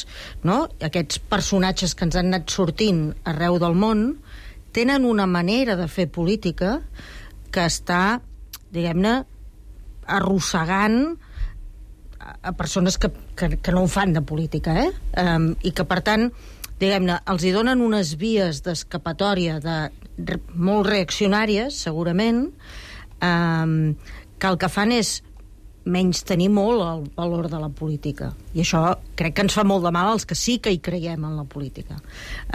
no? Aquests personatges que ens han anat sortint arreu del món, tenen una manera de fer política que està, diguem-ne, arrossegant a persones que no ho fan de política, i que, per tant, diguem-ne, els hi donen unes vies d'escapatòria molt reaccionàries, segurament, que el que fan és menystenir molt el valor de la política. I això crec que ens fa molt de mal als que sí que hi creiem en la política.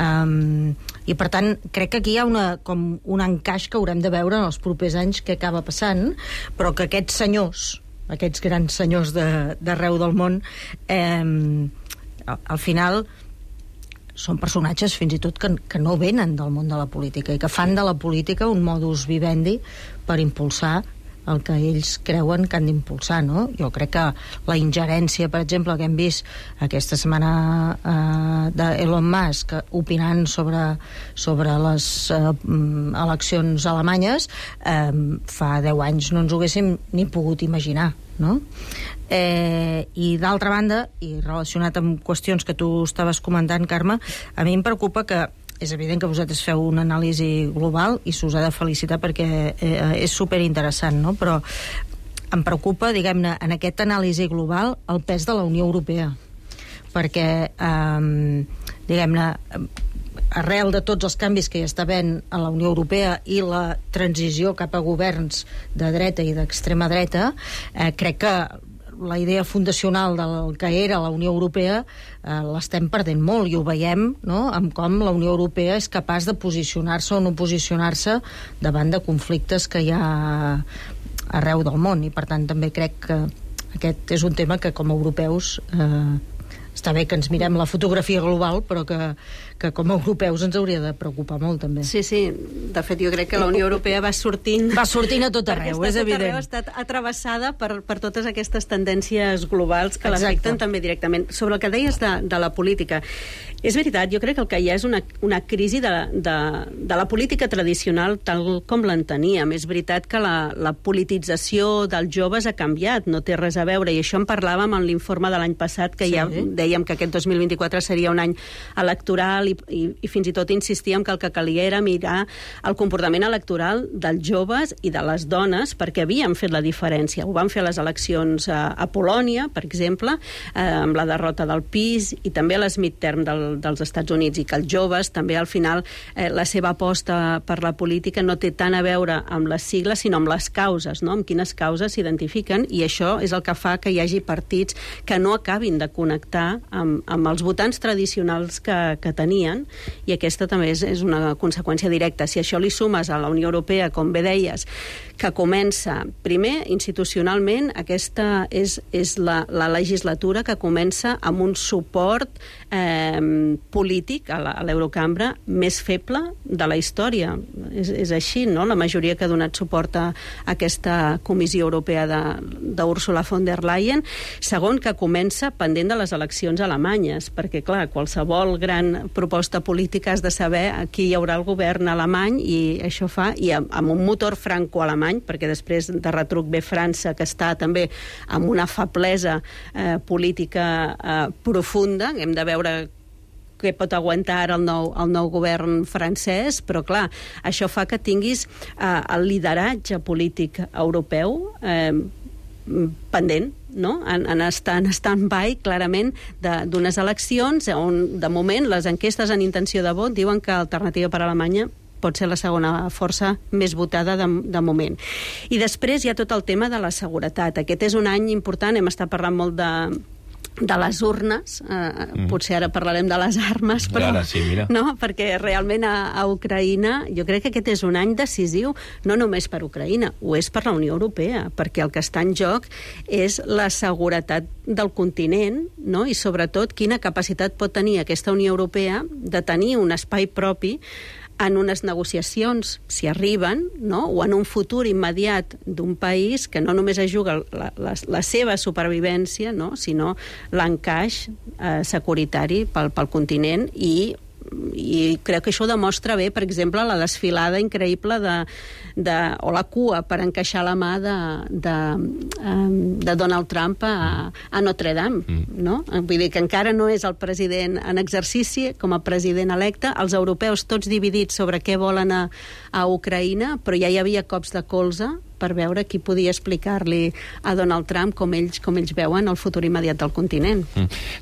I, per tant, crec que aquí hi ha un encaix que haurem de veure en els propers anys què acaba passant, però que aquests senyors, aquests grans senyors d'arreu del món, al final són personatges fins i tot que no venen del món de la política i que fan de la política un modus vivendi per impulsar el que ells creuen que han d'impulsar, no? Jo crec que la ingerència, per exemple, que hem vist aquesta setmana d'Elon Musk opinant sobre les eleccions alemanyes, fa 10 anys no ens ho haguéssim ni pogut imaginar, no? I d'altra banda, i relacionat amb qüestions que tu estaves comentant, Carme, a mi em preocupa que és evident que vosaltres feu una anàlisi global i s'us ha de felicitar perquè és superinteressant, no? Però em preocupa, diguem-ne, en aquesta anàlisi global el pes de la Unió Europea, perquè diguem-ne, arrel de tots els canvis que hi està havent a la Unió Europea i la transició cap a governs de dreta i d'extrema dreta, crec que la idea fundacional del que era la Unió Europea l'estem perdent molt, i ho veiem, no?, amb com la Unió Europea és capaç de posicionar-se o no posicionar-se davant de conflictes que hi ha arreu del món, i per tant també crec que aquest és un tema que com a europeus està bé que ens mirem la fotografia global, però que com a europeus ens hauria de preocupar molt, també. Sí, sí. De fet, jo crec que la Unió Europea va sortint a tot arreu, és evident. Ha estat atrevessada per totes aquestes tendències globals que l'afecten també directament. Sobre el que deies de la política, és veritat, jo crec que el que hi ha és una crisi de la política tradicional tal com l'enteníem. És veritat que la politització dels joves ha canviat, no té res a veure, i això en parlàvem en l'informe de l'any passat, que ja dèiem que aquest 2024 seria un any electoral, i fins i tot insistíem que el que calia era mirar el comportament electoral dels joves i de les dones, perquè havien fet la diferència. Ho van fer a les eleccions a Polònia, per exemple, amb la derrota del PiS, i també a les midterm dels Estats Units, i que els joves també al final la seva aposta per la política no té tant a veure amb les sigles sinó amb les causes, no? Amb quines causes s'identifiquen, i això és el que fa que hi hagi partits que no acabin de connectar amb els votants tradicionals que tenien, i aquesta també és una conseqüència directa. Si això li sumes a la Unió Europea, com bé deies, que comença, primer, institucionalment, aquesta és la legislatura que comença amb un suport polític a l'Eurocambra més feble de la història. És així, no?, la majoria que ha donat suport a aquesta Comissió Europea d'Ursula von der Leyen. Segon, que comença pendent de les eleccions alemanyes, perquè, clar, qualsevol gran proposta política has de saber a qui hi haurà el govern alemany, i això fa, i amb un motor franco-alemany, perquè després de retruc ve França, que està també amb una feblesa política profunda. Hem de veure què pot aguantar ara el nou govern francès, però clar, això fa que tinguis el lideratge polític europeu pendent, no? En stand-by, clarament, d'unes eleccions on, de moment, les enquestes en intenció de vot diuen que Alternativa per Alemanya pot ser la segona força més votada de moment. I després hi ha tot el tema de la seguretat. Aquest és un any important, hem estat parlant molt de les urnes, potser ara parlarem de les armes, però sí, no? Perquè realment a Ucraïna jo crec que aquest és un any decisiu, no només per Ucraïna, ho és per la Unió Europea, perquè el que està en joc és la seguretat del continent, no? I sobretot quina capacitat pot tenir aquesta Unió Europea de tenir un espai propi en unes negociacions, si arriben, no? O en un futur immediat d'un país que no només es juga la seva supervivència, no? Sinó l'encaix securitari pel continent i crec que això demostra bé, per exemple, la desfilada increïble o la cua per encaixar la mà de Donald Trump a Notre Dame, no? Vull dir que encara no és el president en exercici com a president electe, els europeus tots dividits sobre què volen a Ucraïna, però ja hi havia cops de colze per veure qui podia explicar-li a Donald Trump com ells veuen el futur immediat del continent.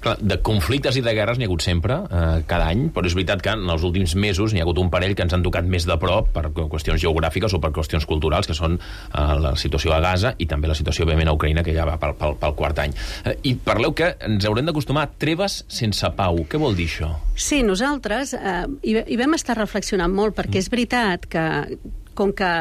Clar, de conflictes i de guerres n'hi ha hagut sempre, cada any, però és veritat que en els últims mesos n'hi ha hagut un parell que ens han tocat més de prop per qüestions geogràfiques o per qüestions culturals, que són la situació a Gaza i també la situació, òbviament, a Ucraïna, que ja va pel quart any. I parleu que ens haurem d'acostumar a treves sense pau. Què vol dir això? Sí, nosaltres hi vam estar reflexionant molt, perquè és veritat que, com que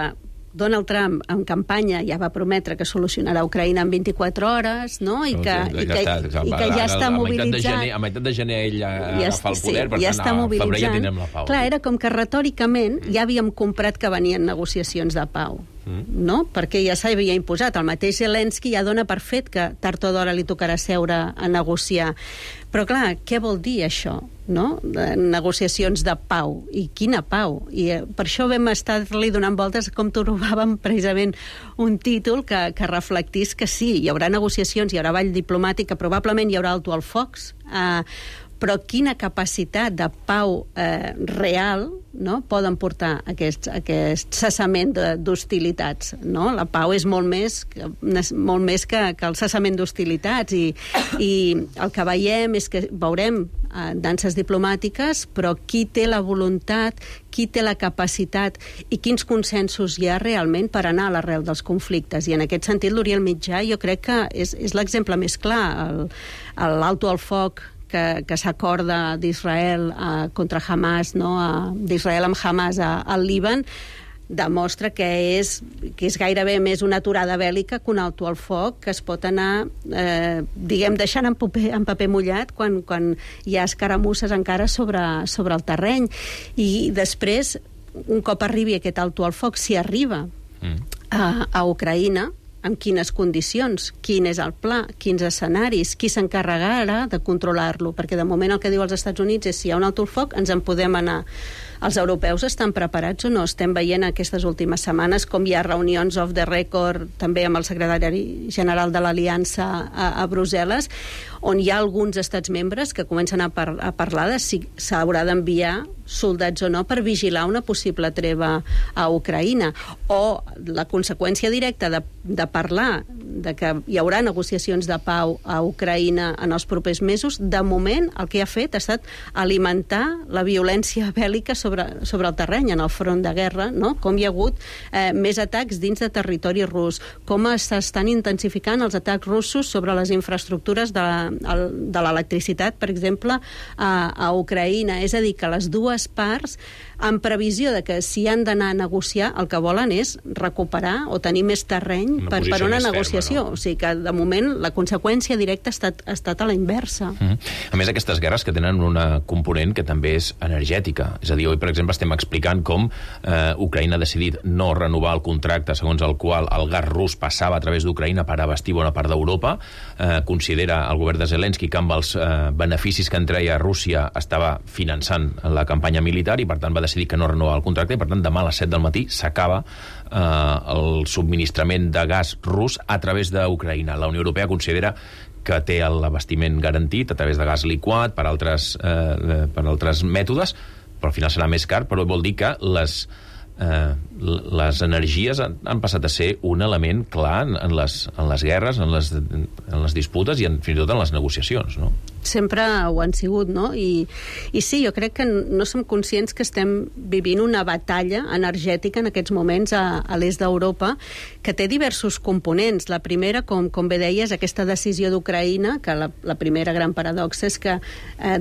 Donald Trump, en campanya, ja va prometre que solucionarà Ucraïna en 24 hores, no? I que ja està mobilitzant. A meitat de gener ell agafa el poder, per tant, a febrer ja tindrem la pau. Clar, era com que retòricament ja havíem comprat que venien negociacions de pau, no? Perquè ja s'havia imposat. El mateix Zelensky ja dona per fet que tard o d'hora li tocarà seure a negociar. Però clar, què vol dir això? No? Negociacions de pau. I quina pau? I per això vam estar-li donant voltes com trobàvem precisament un títol que reflectís que sí, hi haurà negociacions, hi haurà vall diplomàtic, que probablement hi haurà alto al focs, però quina capacitat de pau real, no? Poden portar aquest cessament d'hostilitats, no? La pau és molt més que el cessament d'hostilitats i el que veiem és que veurem danses diplomàtiques, però qui té la voluntat, qui té la capacitat i quins consensos hi ha realment per anar a l'arrel dels conflictes. I en aquest sentit l'Orient Mitjà jo crec que és l'exemple més clar. L'alto al foc que s'acorda d'Israel contra Hamas, no? D'Israel amb Hamas al Líban, demostra que és gairebé més una aturada bèl·lica que un alto al foc que es pot anar, deixant en paper mullat quan hi ha escaramusses encara sobre el terreny. I després, un cop arribi aquest alto al foc, si arriba a Ucraïna, en quines condicions, quin és el pla, quins escenaris, qui s'encarregarà de controlar-lo, perquè de moment el que diu els Estats Units és si hi ha un alto al foc ens en podem anar. Els europeus estan preparats o no? Estem veient aquestes últimes setmanes com hi ha reunions off the record també amb el secretari general de l'Aliança a Brussel·les, on hi ha alguns estats membres que comencen a parlar de si s'haurà d'enviar soldats o no per vigilar una possible treva a Ucraïna, o la conseqüència directa de parlar de que hi haurà negociacions de pau a Ucraïna en els propers mesos. De moment el que ha fet ha estat alimentar la violència bèl·lica sobre el terreny, en el front de guerra, no? Com hi ha hagut més atacs dins de territori rus, com s'estan intensificant els atacs russos sobre les infraestructures de l'electricitat, per exemple, a Ucraïna. És a dir, que les dues parts, en previsió de que si han d'anar a negociar, el que volen és recuperar o tenir més terreny per una negociació. Ferma, no? O sigui que, de moment, la conseqüència directa ha estat a la inversa. A més, aquestes guerres que tenen una component que també és energètica. És a dir, avui, per exemple, estem explicant com Ucraïna ha decidit no renovar el contracte segons el qual el gas rus passava a través d'Ucraïna per abastir bona part d'Europa. Considera el govern de Zelensky que amb els beneficis que en treia Rússia estava finançant la campanya militar i, per tant, va decidir que no renovava el contracte i, per tant, demà a les 7 del matí s'acaba el subministrament de gas rus a través d'Ucraïna. La Unió Europea considera que té l'abastiment garantit a través de gas liquat per altres mètodes, però al final serà més car, però vol dir que les les energies han passat a ser un element clar en les guerres, en les disputes i fins i tot en les negociacions, no? Sempre ho han sigut, no? I sí, jo crec que no som conscients que estem vivint una batalla energètica en aquests moments a l'est d'Europa que té diversos components. La primera, com bé deies, aquesta decisió d'Ucraïna, que la primera gran paradoxa és que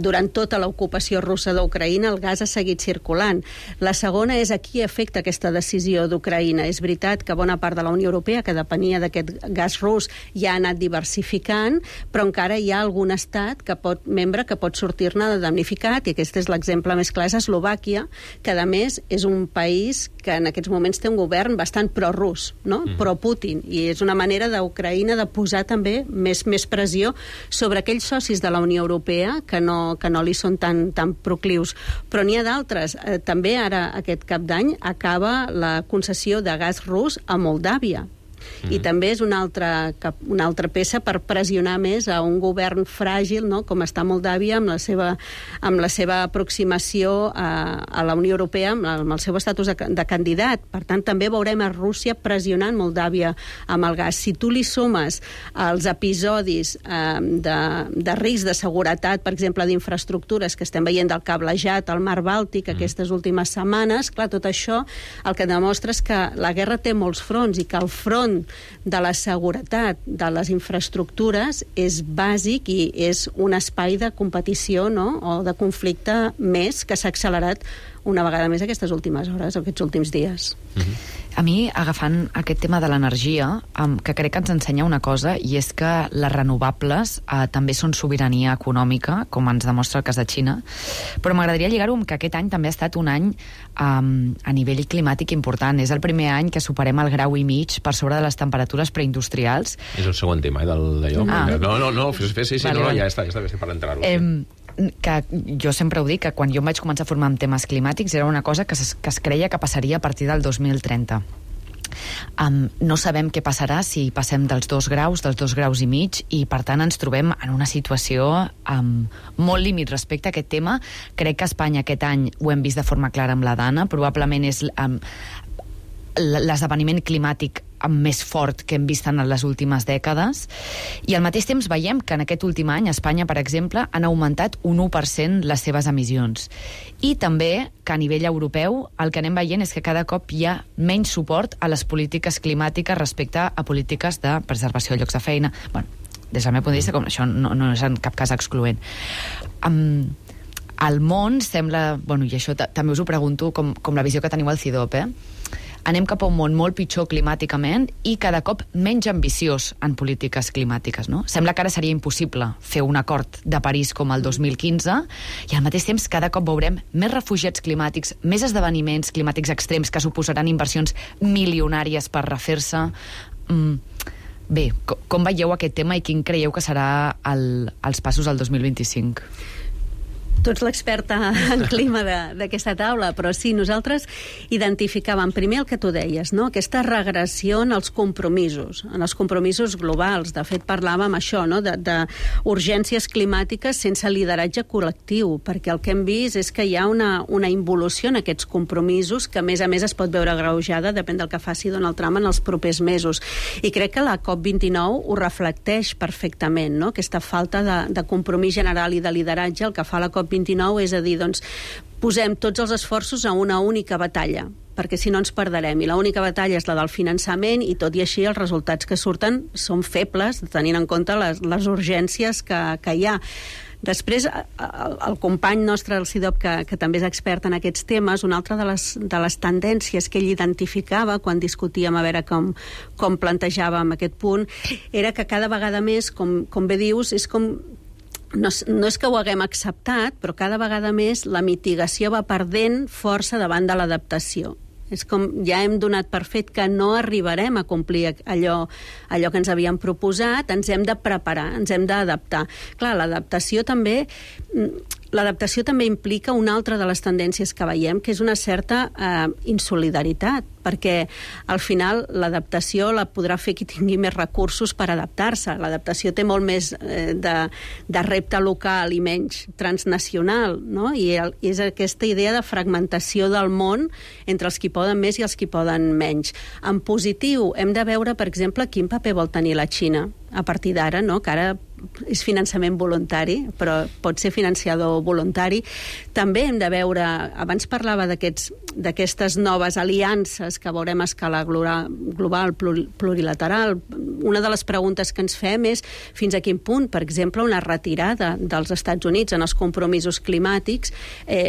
durant tota l'ocupació russa d'Ucraïna el gas ha seguit circulant. La segona és a qui afecta aquesta decisió d'Ucraïna. És veritat que bona part de la Unió Europea, que depenia d'aquest gas rus, ja ha anat diversificant, però encara hi ha algun estat membre que pot sortir-ne damnificat, i aquest és l'exemple més clar, és Eslovàquia, que a més és un país que en aquests moments té un govern bastant pro-rus, no? Pro-Putin, i és una manera d'Ucraïna de posar també més pressió sobre aquells socis de la Unió Europea que no li són tan proclius. Però n'hi ha d'altres. També ara, aquest cap d'any, acaba la concessió de gas rus a Moldàvia. I també és una altra peça per pressionar més a un govern fràgil, no?, com està Moldàvia, amb la seva aproximació a la Unió Europea, amb el seu estatus de candidat. Per tant, també veurem a Rússia pressionant Moldàvia amb el gas. Si tu li sumes els episodis de risc de seguretat, per exemple, d'infraestructures que estem veient del cablejat al Mar Bàltic aquestes últimes setmanes, clar, tot això el que demostra és que la guerra té molts fronts i que el front de la seguretat de les infraestructures és bàsic i és un espai de competició, no?, o de conflicte més que s'ha accelerat una vegada més aquestes últimes hores, aquests últims dies. A mi, agafant aquest tema de l'energia, que crec que ens ensenya una cosa, i és que les renovables també són sobirania econòmica, com ens demostra el cas de Xina, però m'agradaria lligar-ho amb que aquest any també ha estat un any a nivell climàtic important. És el primer any que superem el 1,5 graus per sobre de les temperatures preindustrials. És el següent tema, d'allò. No, sí, ja està bé per entrar-ho. Que jo sempre ho dic, que quan jo em vaig començar a formar en temes climàtics era una cosa que es creia que passaria a partir del 2030. No sabem què passarà si passem dels 2 graus, dels 2,5 graus, i per tant ens trobem en una situació molt límit respecte a aquest tema. Crec que a Espanya aquest any ho hem vist de forma clara amb la Dana, probablement és l'esdeveniment climàtic més fort que hem vist en les últimes dècades, i al mateix temps veiem que en aquest últim any a Espanya, per exemple, han augmentat un 1% les seves emissions. I també que a nivell europeu el que anem veient és que cada cop hi ha menys suport a les polítiques climàtiques respecte a polítiques de preservació de llocs de feina. Bueno, des del meu punt de vista, com això no és en cap cas excloent. El món sembla, i això també us ho pregunto, com la visió que teniu al CIDOP, anem cap a un món molt pitjor climàticament i cada cop menys ambiciós en polítiques climàtiques, no? Sembla que ara seria impossible fer un acord de París com el 2015, i al mateix temps cada cop veurem més refugiats climàtics, més esdeveniments climàtics extrems que suposaran inversions milionàries per refer-se. Bé, com veieu aquest tema i quin creieu que serà els passos al 2025? Tu ets l'experta en clima d'aquesta taula, però sí, nosaltres identificàvem primer el que tu deies, no?, aquesta regressió en els compromisos globals. De fet, parlàvem això, no?, d'urgències climàtiques sense lideratge col·lectiu, perquè el que hem vist és que hi ha una involució en aquests compromisos que, a més es pot veure agreujada, depèn del que faci Donald Trump en els propers mesos. I crec que la COP29 ho reflecteix perfectament, no?, aquesta falta de compromís general i de lideratge. El que fa la COP29 és a dir, doncs, posem tots els esforços a una única batalla, perquè si no ens perderem, i l'única batalla és la del finançament, i tot i així els resultats que surten són febles, tenint en compte les urgències que hi ha. Després, el company nostre, el CIDOP, que també és expert en aquests temes, una altra de les tendències que ell identificava quan discutíem a veure com plantejàvem aquest punt, era que cada vegada més, com bé dius, és com no és que ho haguem acceptat, però cada vegada més la mitigació va perdent força davant de l'adaptació. És com ja hem donat per fet que no arribarem a complir allò que ens havíem proposat, ens hem de preparar, ens hem d'adaptar. Clar, l'adaptació també l'adaptació també implica una altra de les tendències que veiem, que és una certa insolidaritat, perquè al final l'adaptació la podrà fer qui tingui més recursos per adaptar-se. L'adaptació té molt més de repte local i menys transnacional, no? I és aquesta idea de fragmentació del món entre els qui poden més i els qui poden menys. En positiu, hem de veure, per exemple, quin paper vol tenir la Xina a partir d'ara, no? Que ara és finançament voluntari, però pot ser financiador voluntari. També hem de veure, abans parlava d'aquestes noves aliances que veurem a escala global, plurilateral. Una de les preguntes que ens fem és fins a quin punt, per exemple, una retirada dels Estats Units en els compromisos climàtics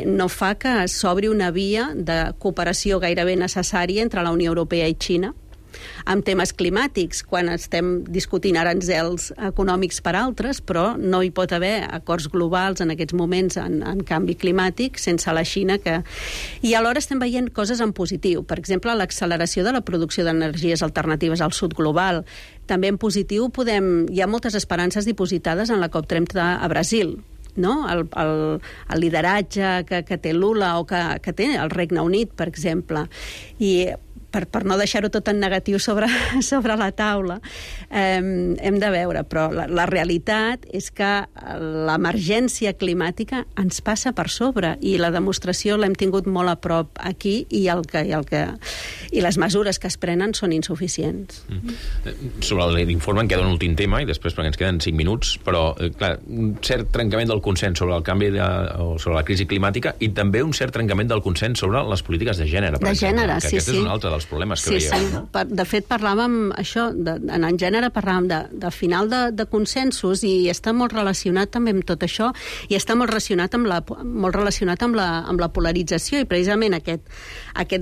no fa que s'obri una via de cooperació gairebé necessària entre la Unió Europea i Xina amb temes climàtics, quan estem discutint aranzels econòmics per altres, però no hi pot haver acords globals en aquests moments en canvi climàtic sense la Xina. I alhora estem veient coses en positiu. Per exemple, l'acceleració de la producció d'energies alternatives al sud global. També en positiu hi ha moltes esperances dipositades en la COP30 a Brasil, no? El lideratge que té Lula o que té el Regne Unit, per exemple. I per no deixar-ho tot en negatiu sobre la taula, hem de veure, però la realitat és que l'emergència climàtica ens passa per sobre i la demostració l'hem tingut molt a prop aquí i les mesures que es prenen són insuficients. Sobre l'informe em queda un últim tema i després perquè ens queden 5 minuts, però clar, un cert trencament del consens sobre el canvi o sobre la crisi climàtica i també un cert trencament del consens sobre les polítiques de gènere, per exemple, que aquest és un altre dels problemes que veiem. No? De fet, parlàvem això, en gènere parlàvem de final de consensos i està molt relacionat també amb tot això i està molt relacionat amb la polarització i precisament aquest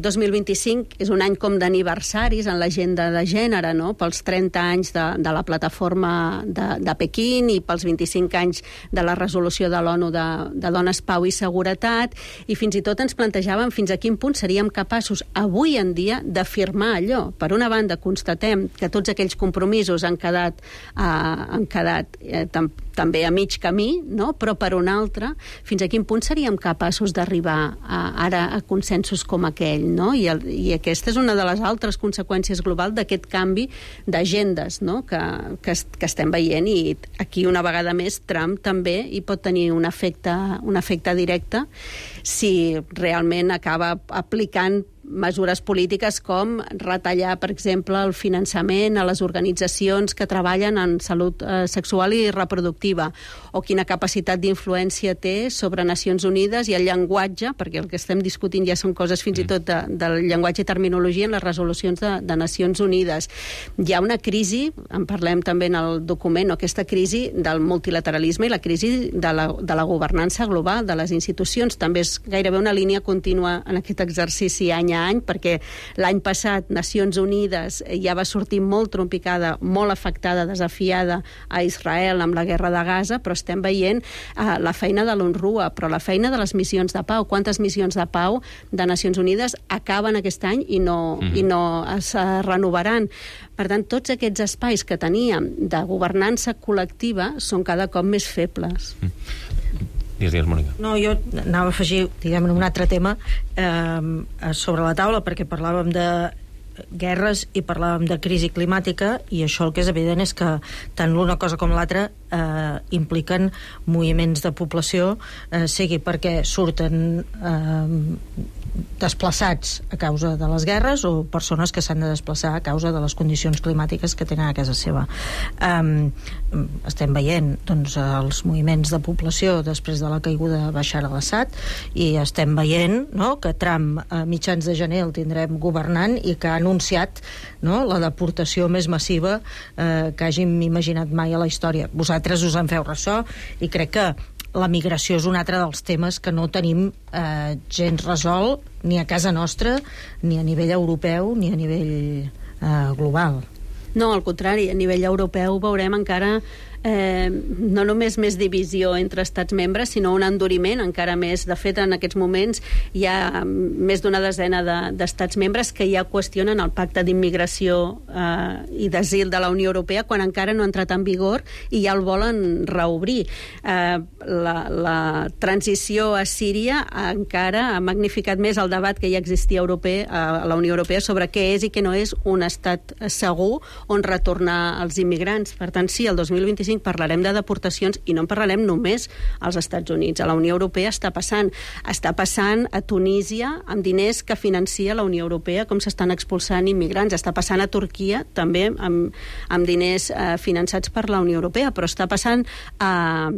2025 és un any com d'aniversaris en l'agenda de gènere, no? Pels 30 anys de la plataforma de Pequín i pels 25 anys de la resolució de l'ONU de Dones, Pau i Seguretat, i fins i tot ens plantejàvem fins a quin punt seríem capaços avui en dia d'afirmar allò. Per una banda, constatem que tots aquells compromisos han quedat també a mig camí, no? Però per una altra, fins a quin punt seríem capaços d'arribar ara a consensos com aquell, no? I aquesta és una de les altres conseqüències globals d'aquest canvi d'agendes, no? que estem veient, i aquí una vegada més Trump també hi pot tenir un efecte directe si realment acaba aplicant mesures polítiques com retallar, per exemple, el finançament a les organitzacions que treballen en salut sexual i reproductiva, o quina capacitat d'influència té sobre Nacions Unides i el llenguatge, perquè el que estem discutint ja són coses fins i tot del llenguatge i terminologia en les resolucions de Nacions Unides. Hi ha una crisi, en parlem també en el document, aquesta crisi del multilateralisme i la crisi de la governança global de les institucions. També és gairebé una línia contínua en aquest exercici any a any, perquè l'any passat Nacions Unides ja va sortir molt trompicada, molt afectada, desafiada a Israel amb la guerra de Gaza, però estem veient la feina de l'UNRWA, però la feina de les missions de pau. Quantes missions de pau de Nacions Unides acaben aquest any i no es renovaran? Per tant, tots aquests espais que teníem de governança col·lectiva són cada cop més febles. Digues, Mònica. No, jo anava a afegir, diguem, un altre tema sobre la taula, perquè parlàvem de guerres i parlàvem de crisi climàtica, i això el que és evident és que tant l'una cosa com l'altra impliquen moviments de població, sigui perquè surten desplaçats a causa de les guerres o persones que s'han de desplaçar a causa de les condicions climàtiques que tenen a casa seva. Estem veient doncs, els moviments de població després de la caiguda de Bashar al-Assad, i estem veient, no, que Trump a mitjans de gener el tindrem governant i que ha anunciat, no, la deportació més massiva que hàgim imaginat mai a la història. Vosaltres us en feu ressò i crec que la migració és un altre dels temes que no tenim gens resolt ni a casa nostra, ni a nivell europeu, ni a nivell global. No, al contrari, a nivell europeu veurem encara no només més divisió entre estats membres, sinó un enduriment encara més. De fet, en aquests moments hi ha més d'una desena d'estats membres que ja qüestionen el pacte d'immigració i d'asil de la Unió Europea quan encara no ha entrat en vigor i ja el volen reobrir. La transició a Síria encara ha magnificat més el debat que ja existia a la Unió Europea sobre què és i què no és un estat segur on retornar els immigrants. Per tant, sí, el 2025 parlarem de deportacions i no en parlarem només als Estats Units. A la Unió Europea està passant a Tunísia amb diners que financia la Unió Europea, com s'estan expulsant immigrants. Està passant a Turquia, també amb diners finançats per la Unió Europea, però està passant a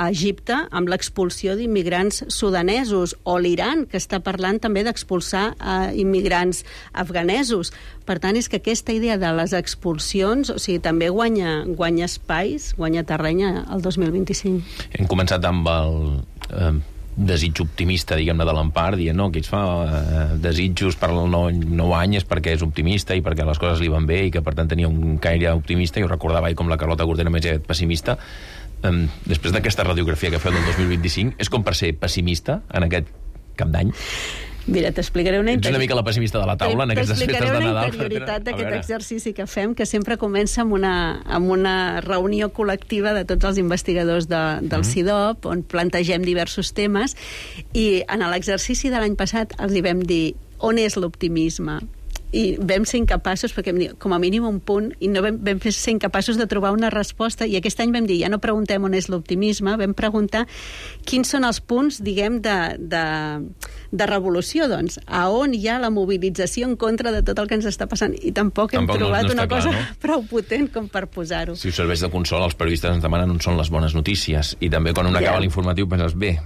Egipte amb l'expulsió d'immigrants sudanesos, o l'Iran, que està parlant també d'expulsar immigrants afganesos. Per tant, és que aquesta idea de les expulsions, o sigui, també guanya espais, guanya terreny el 2025. Hem començat amb el desig optimista, diguem-ne, de l'Empar, dient, no, qui es fa desitjos per al nou any és perquè és optimista i perquè les coses li van bé i que, per tant, tenia un caire optimista. Jo recordava com la Carlota Gordena més pessimista. Després d'aquesta radiografia que feu del 2025, és com per ser pessimista en aquest cap d'any? Mira, t'explicaré Ets una mica la pessimista de la taula en aquestes festes de Nadal. T'explicaré una interioritat d'aquest exercici que fem, que sempre comença amb una reunió col·lectiva de tots els investigadors del CIDOB, on plantegem diversos temes, i en l'exercici de l'any passat els hi vam dir on és l'optimisme. I vam ser incapaços, perquè com a mínim un punt, i no vam ser incapaços de trobar una resposta, i aquest any vam dir, ja no preguntem on és l'optimisme, vam preguntar quins són els punts, diguem, de revolució, doncs, a on hi ha la mobilització en contra de tot el que ens està passant, i tampoc hem trobat una cosa prou potent com per posar-ho. Si us serveix de consol, els periodistes ens demanen on són les bones notícies, i també quan un acaba l'informatiu penses, bé,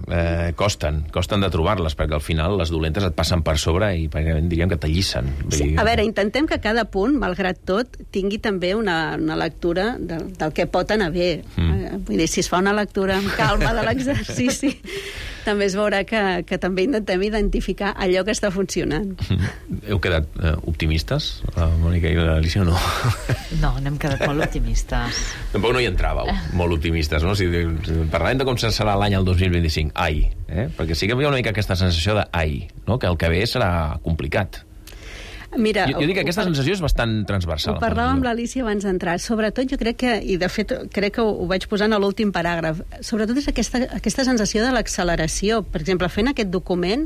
costen de trobar-les, perquè al final les dolentes et passen per sobre i diríem que t'allissen. Sí. A veure, intentem que cada punt, malgrat tot, tingui també una lectura del que pot anar bé. Vull dir, si es fa una lectura amb calma de l'exercici, també es veurà que també intentem identificar allò que està funcionant. Heu quedat optimistes, la Mònica i l'Alicia, o no? No, n'hem quedat molt optimistes. Tampoc no hi entràveu, molt optimistes, no? Si parlem de com serà l'any el 2025, perquè sí que hi ha una mica aquesta sensació de no? Que el que ve serà complicat. Mira, jo dic que aquesta sensació és bastant transversal. Ho parlàvem amb l'Alicia abans d'entrar. Sobretot jo crec que, i de fet crec que ho vaig posar en l'últim paràgraf, sobretot és aquesta sensació de l'acceleració. Per exemple, fent aquest document,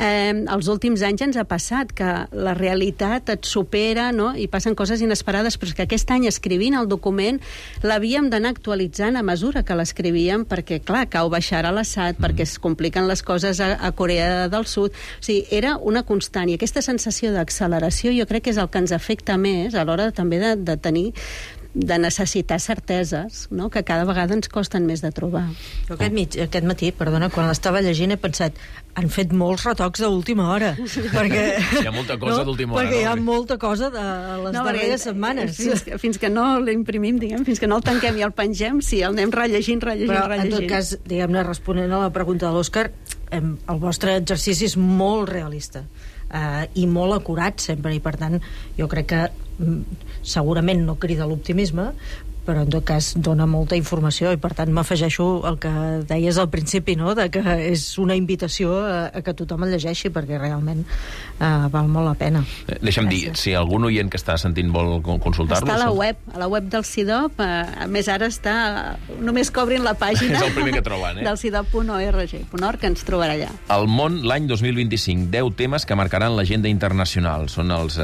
els últims anys ens ha passat que la realitat et supera, no? I passen coses inesperades, però és que aquest any escrivint el document l'havíem d'anar actualitzant a mesura que l'escrivíem, perquè, clar, cau baixar a l'Assad, perquè es compliquen les coses a Corea del Sud. O sigui, era una constant. I aquesta sensació d'acceleració jo crec que és el que ens afecta més a l'hora també de necessitar certeses, no? Que cada vegada ens costen més de trobar. Jo aquest matí, perdona, quan l'estava llegint he pensat, han fet molts retocs d'última hora. Perquè hi ha molta cosa d'última hora. Perquè hi ha molta cosa de les darreres setmanes. Fins que no l'imprimim, diguem, fins que no el tanquem i el pengem, sí, el anem rellegint. Però, en tot cas, diguem-ne, responent a la pregunta de l'Òscar, el vostre exercici és molt realista. I molt acurat sempre, i per tant jo crec que segurament no crida l'optimisme, però en tot cas dona molta informació, i per tant m'afegeixo el que deies al principi, no? De que és una invitació a que tothom el llegeixi, perquè realment val molt la pena. Deixa'm dir, si algun oient que està sentint vol consultar-lo... Està a la web del CIDOB, a més ara està... Només que obrin la pàgina... És el primer que troben, del CIDOB.org, que ens trobarà allà. El món, l'any 2025, 10 temes que marcaran l'agenda internacional. Són els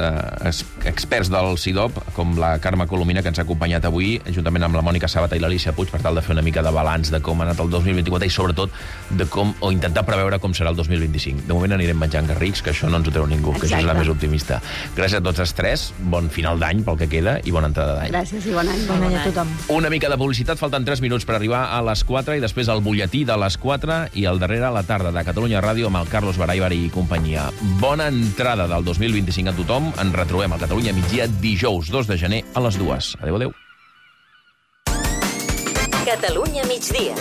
experts del CIDOB, com la Carme Colomina, que ens ha acompanyat avui, juntament amb la Mònica Sabata i l'Alicia Puig, per tal de fer una mica de balanç de com ha anat el 2024 i sobretot de com, o intentar preveure com serà el 2025. De moment anirem menjant garrics, que això no ens ho treu ningú, que això és la més optimista. Gràcies a tots els tres, bon final d'any pel que queda i bona entrada d'any. Gràcies i bon any. Bon any a tothom. Una mica de publicitat, falten 3 minuts per arribar a les 4 i després el butlletí de les 4 i al darrere a la tarda de Catalunya Ràdio amb el Carlos Baraibar i companyia. Bona entrada del 2025 a tothom. Ens retrobem a Catalunya migdia dijous 2 de gener a les 2. Adéu. Catalunya migdia.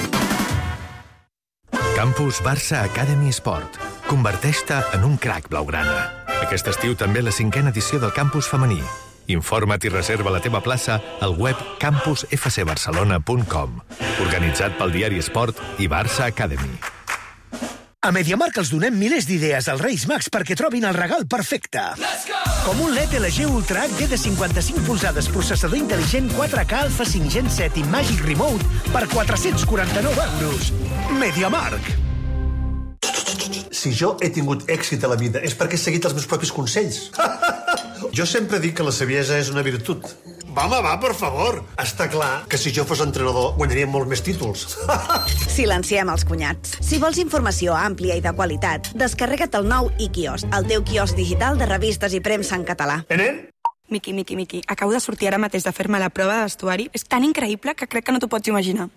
Campus Barça Academy Sport. Converteix-te en un crac blaugrana. Aquest estiu també la 5a edició del Campus femení. Informa't i reserva la teva plaça al web campusfcbarcelona.com. Organitzat pel diari Esport i Barça Academy. A MediaMarkt els donem milers d'idees als Reis Mags perquè trobin el regal perfecte. Com un LED LG Ultra HD de 55 polzades, processador intel·ligent 4K Alpha 5 Gen 7 i Magic Remote per 449 euros. MediaMarkt. Si jo he tingut èxit a la vida és perquè he seguit els meus propis consells. Jo sempre dic que la saviesa és una virtut. Va, per favor. Està clar que si jo fos entrenador guanyaria molts més títols. Silenciem els cunyats. Si vols informació àmplia i de qualitat, descarrega't el nou iKiosc, el teu quiosc digital de revistes i premsa en català. Miqui, acabo de sortir ara mateix de fer-me la prova de vestuari. És tan increïble que crec que no t'ho pots imaginar.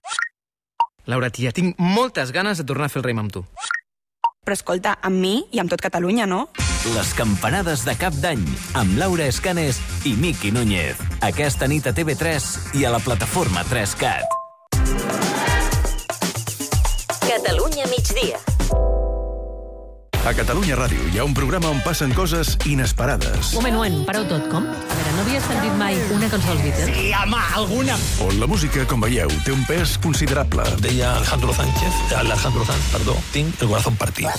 Laura, tia, tinc moltes ganes de tornar a fer el raim amb tu. Però escolta, amb mi i amb tot Catalunya, no? Les campanades de Cap d'Any, amb Laura Escanes i Miqui Núñez. Aquesta nit a TV3 i a la plataforma 3CAT. Catalunya migdia. A Catalunya Ràdio hi ha un programa on passen coses inesperades. Moment, pareu tot, com? A veure, no havies sentit mai una cançó dels Beatles? Sí, home, alguna. On la música, com veieu, té un pes considerable. Deia Alejandro Sanz, tinc el corazón partit.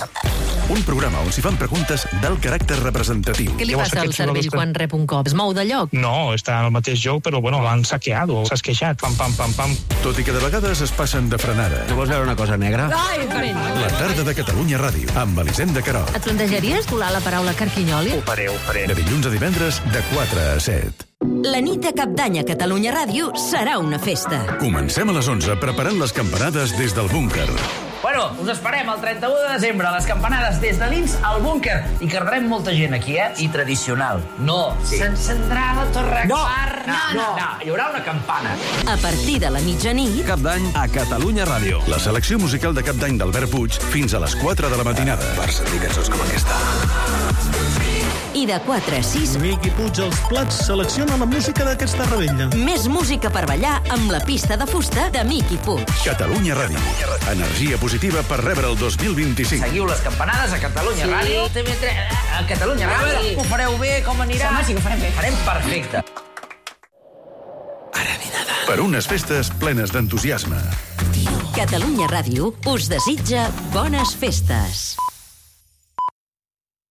Un programa on s'hi fan preguntes d'alt caràcter representatiu. Què li passa al cervell quan rep un cop? Es mou de lloc? No, està en el mateix lloc, però bueno, l'han saqueado, s'ha esqueixat, pam. Tot i que de vegades es passen de frenada. Tu vols veure una cosa negra? Ai, La tarda de Catalunya Ràdio, amb Elisenda Querol. et plantejaries colar la paraula carquinyoli? Ho faré. De dilluns a divendres, de 4 a 7. La nit de Cap d'Any a Catalunya Ràdio serà una festa. Comencem a les 11 preparant les campanades des del búnquer. Bueno, us esperem el 31 de desembre a les campanades des de dins al búnquer. I quedarem molta gent aquí, I tradicional. No, s'encendrà la torre Akbar. No, hi haurà una campana. A partir de la mitjanit... Cap d'Any a Catalunya Ràdio. La selecció musical de Cap d'Any d'Albert Puig fins a les 4 de la matinada. Per sentir cançons com aquesta. I de 4 a 6... Miqui Puig, els plats selecciona la música d'aquesta rebella. Més música per ballar amb la pista de fusta de Miqui Puig. Catalunya Ràdio. Energia positiva per rebre el 2025. Seguiu les campanades a Catalunya Ràdio. TV3, a Catalunya Ràdio. Ho fareu bé, com anirà? Sí, ho farem bé. Farem perfecte. Per unes festes plenes d'entusiasme. Catalunya Ràdio us desitja bones festes.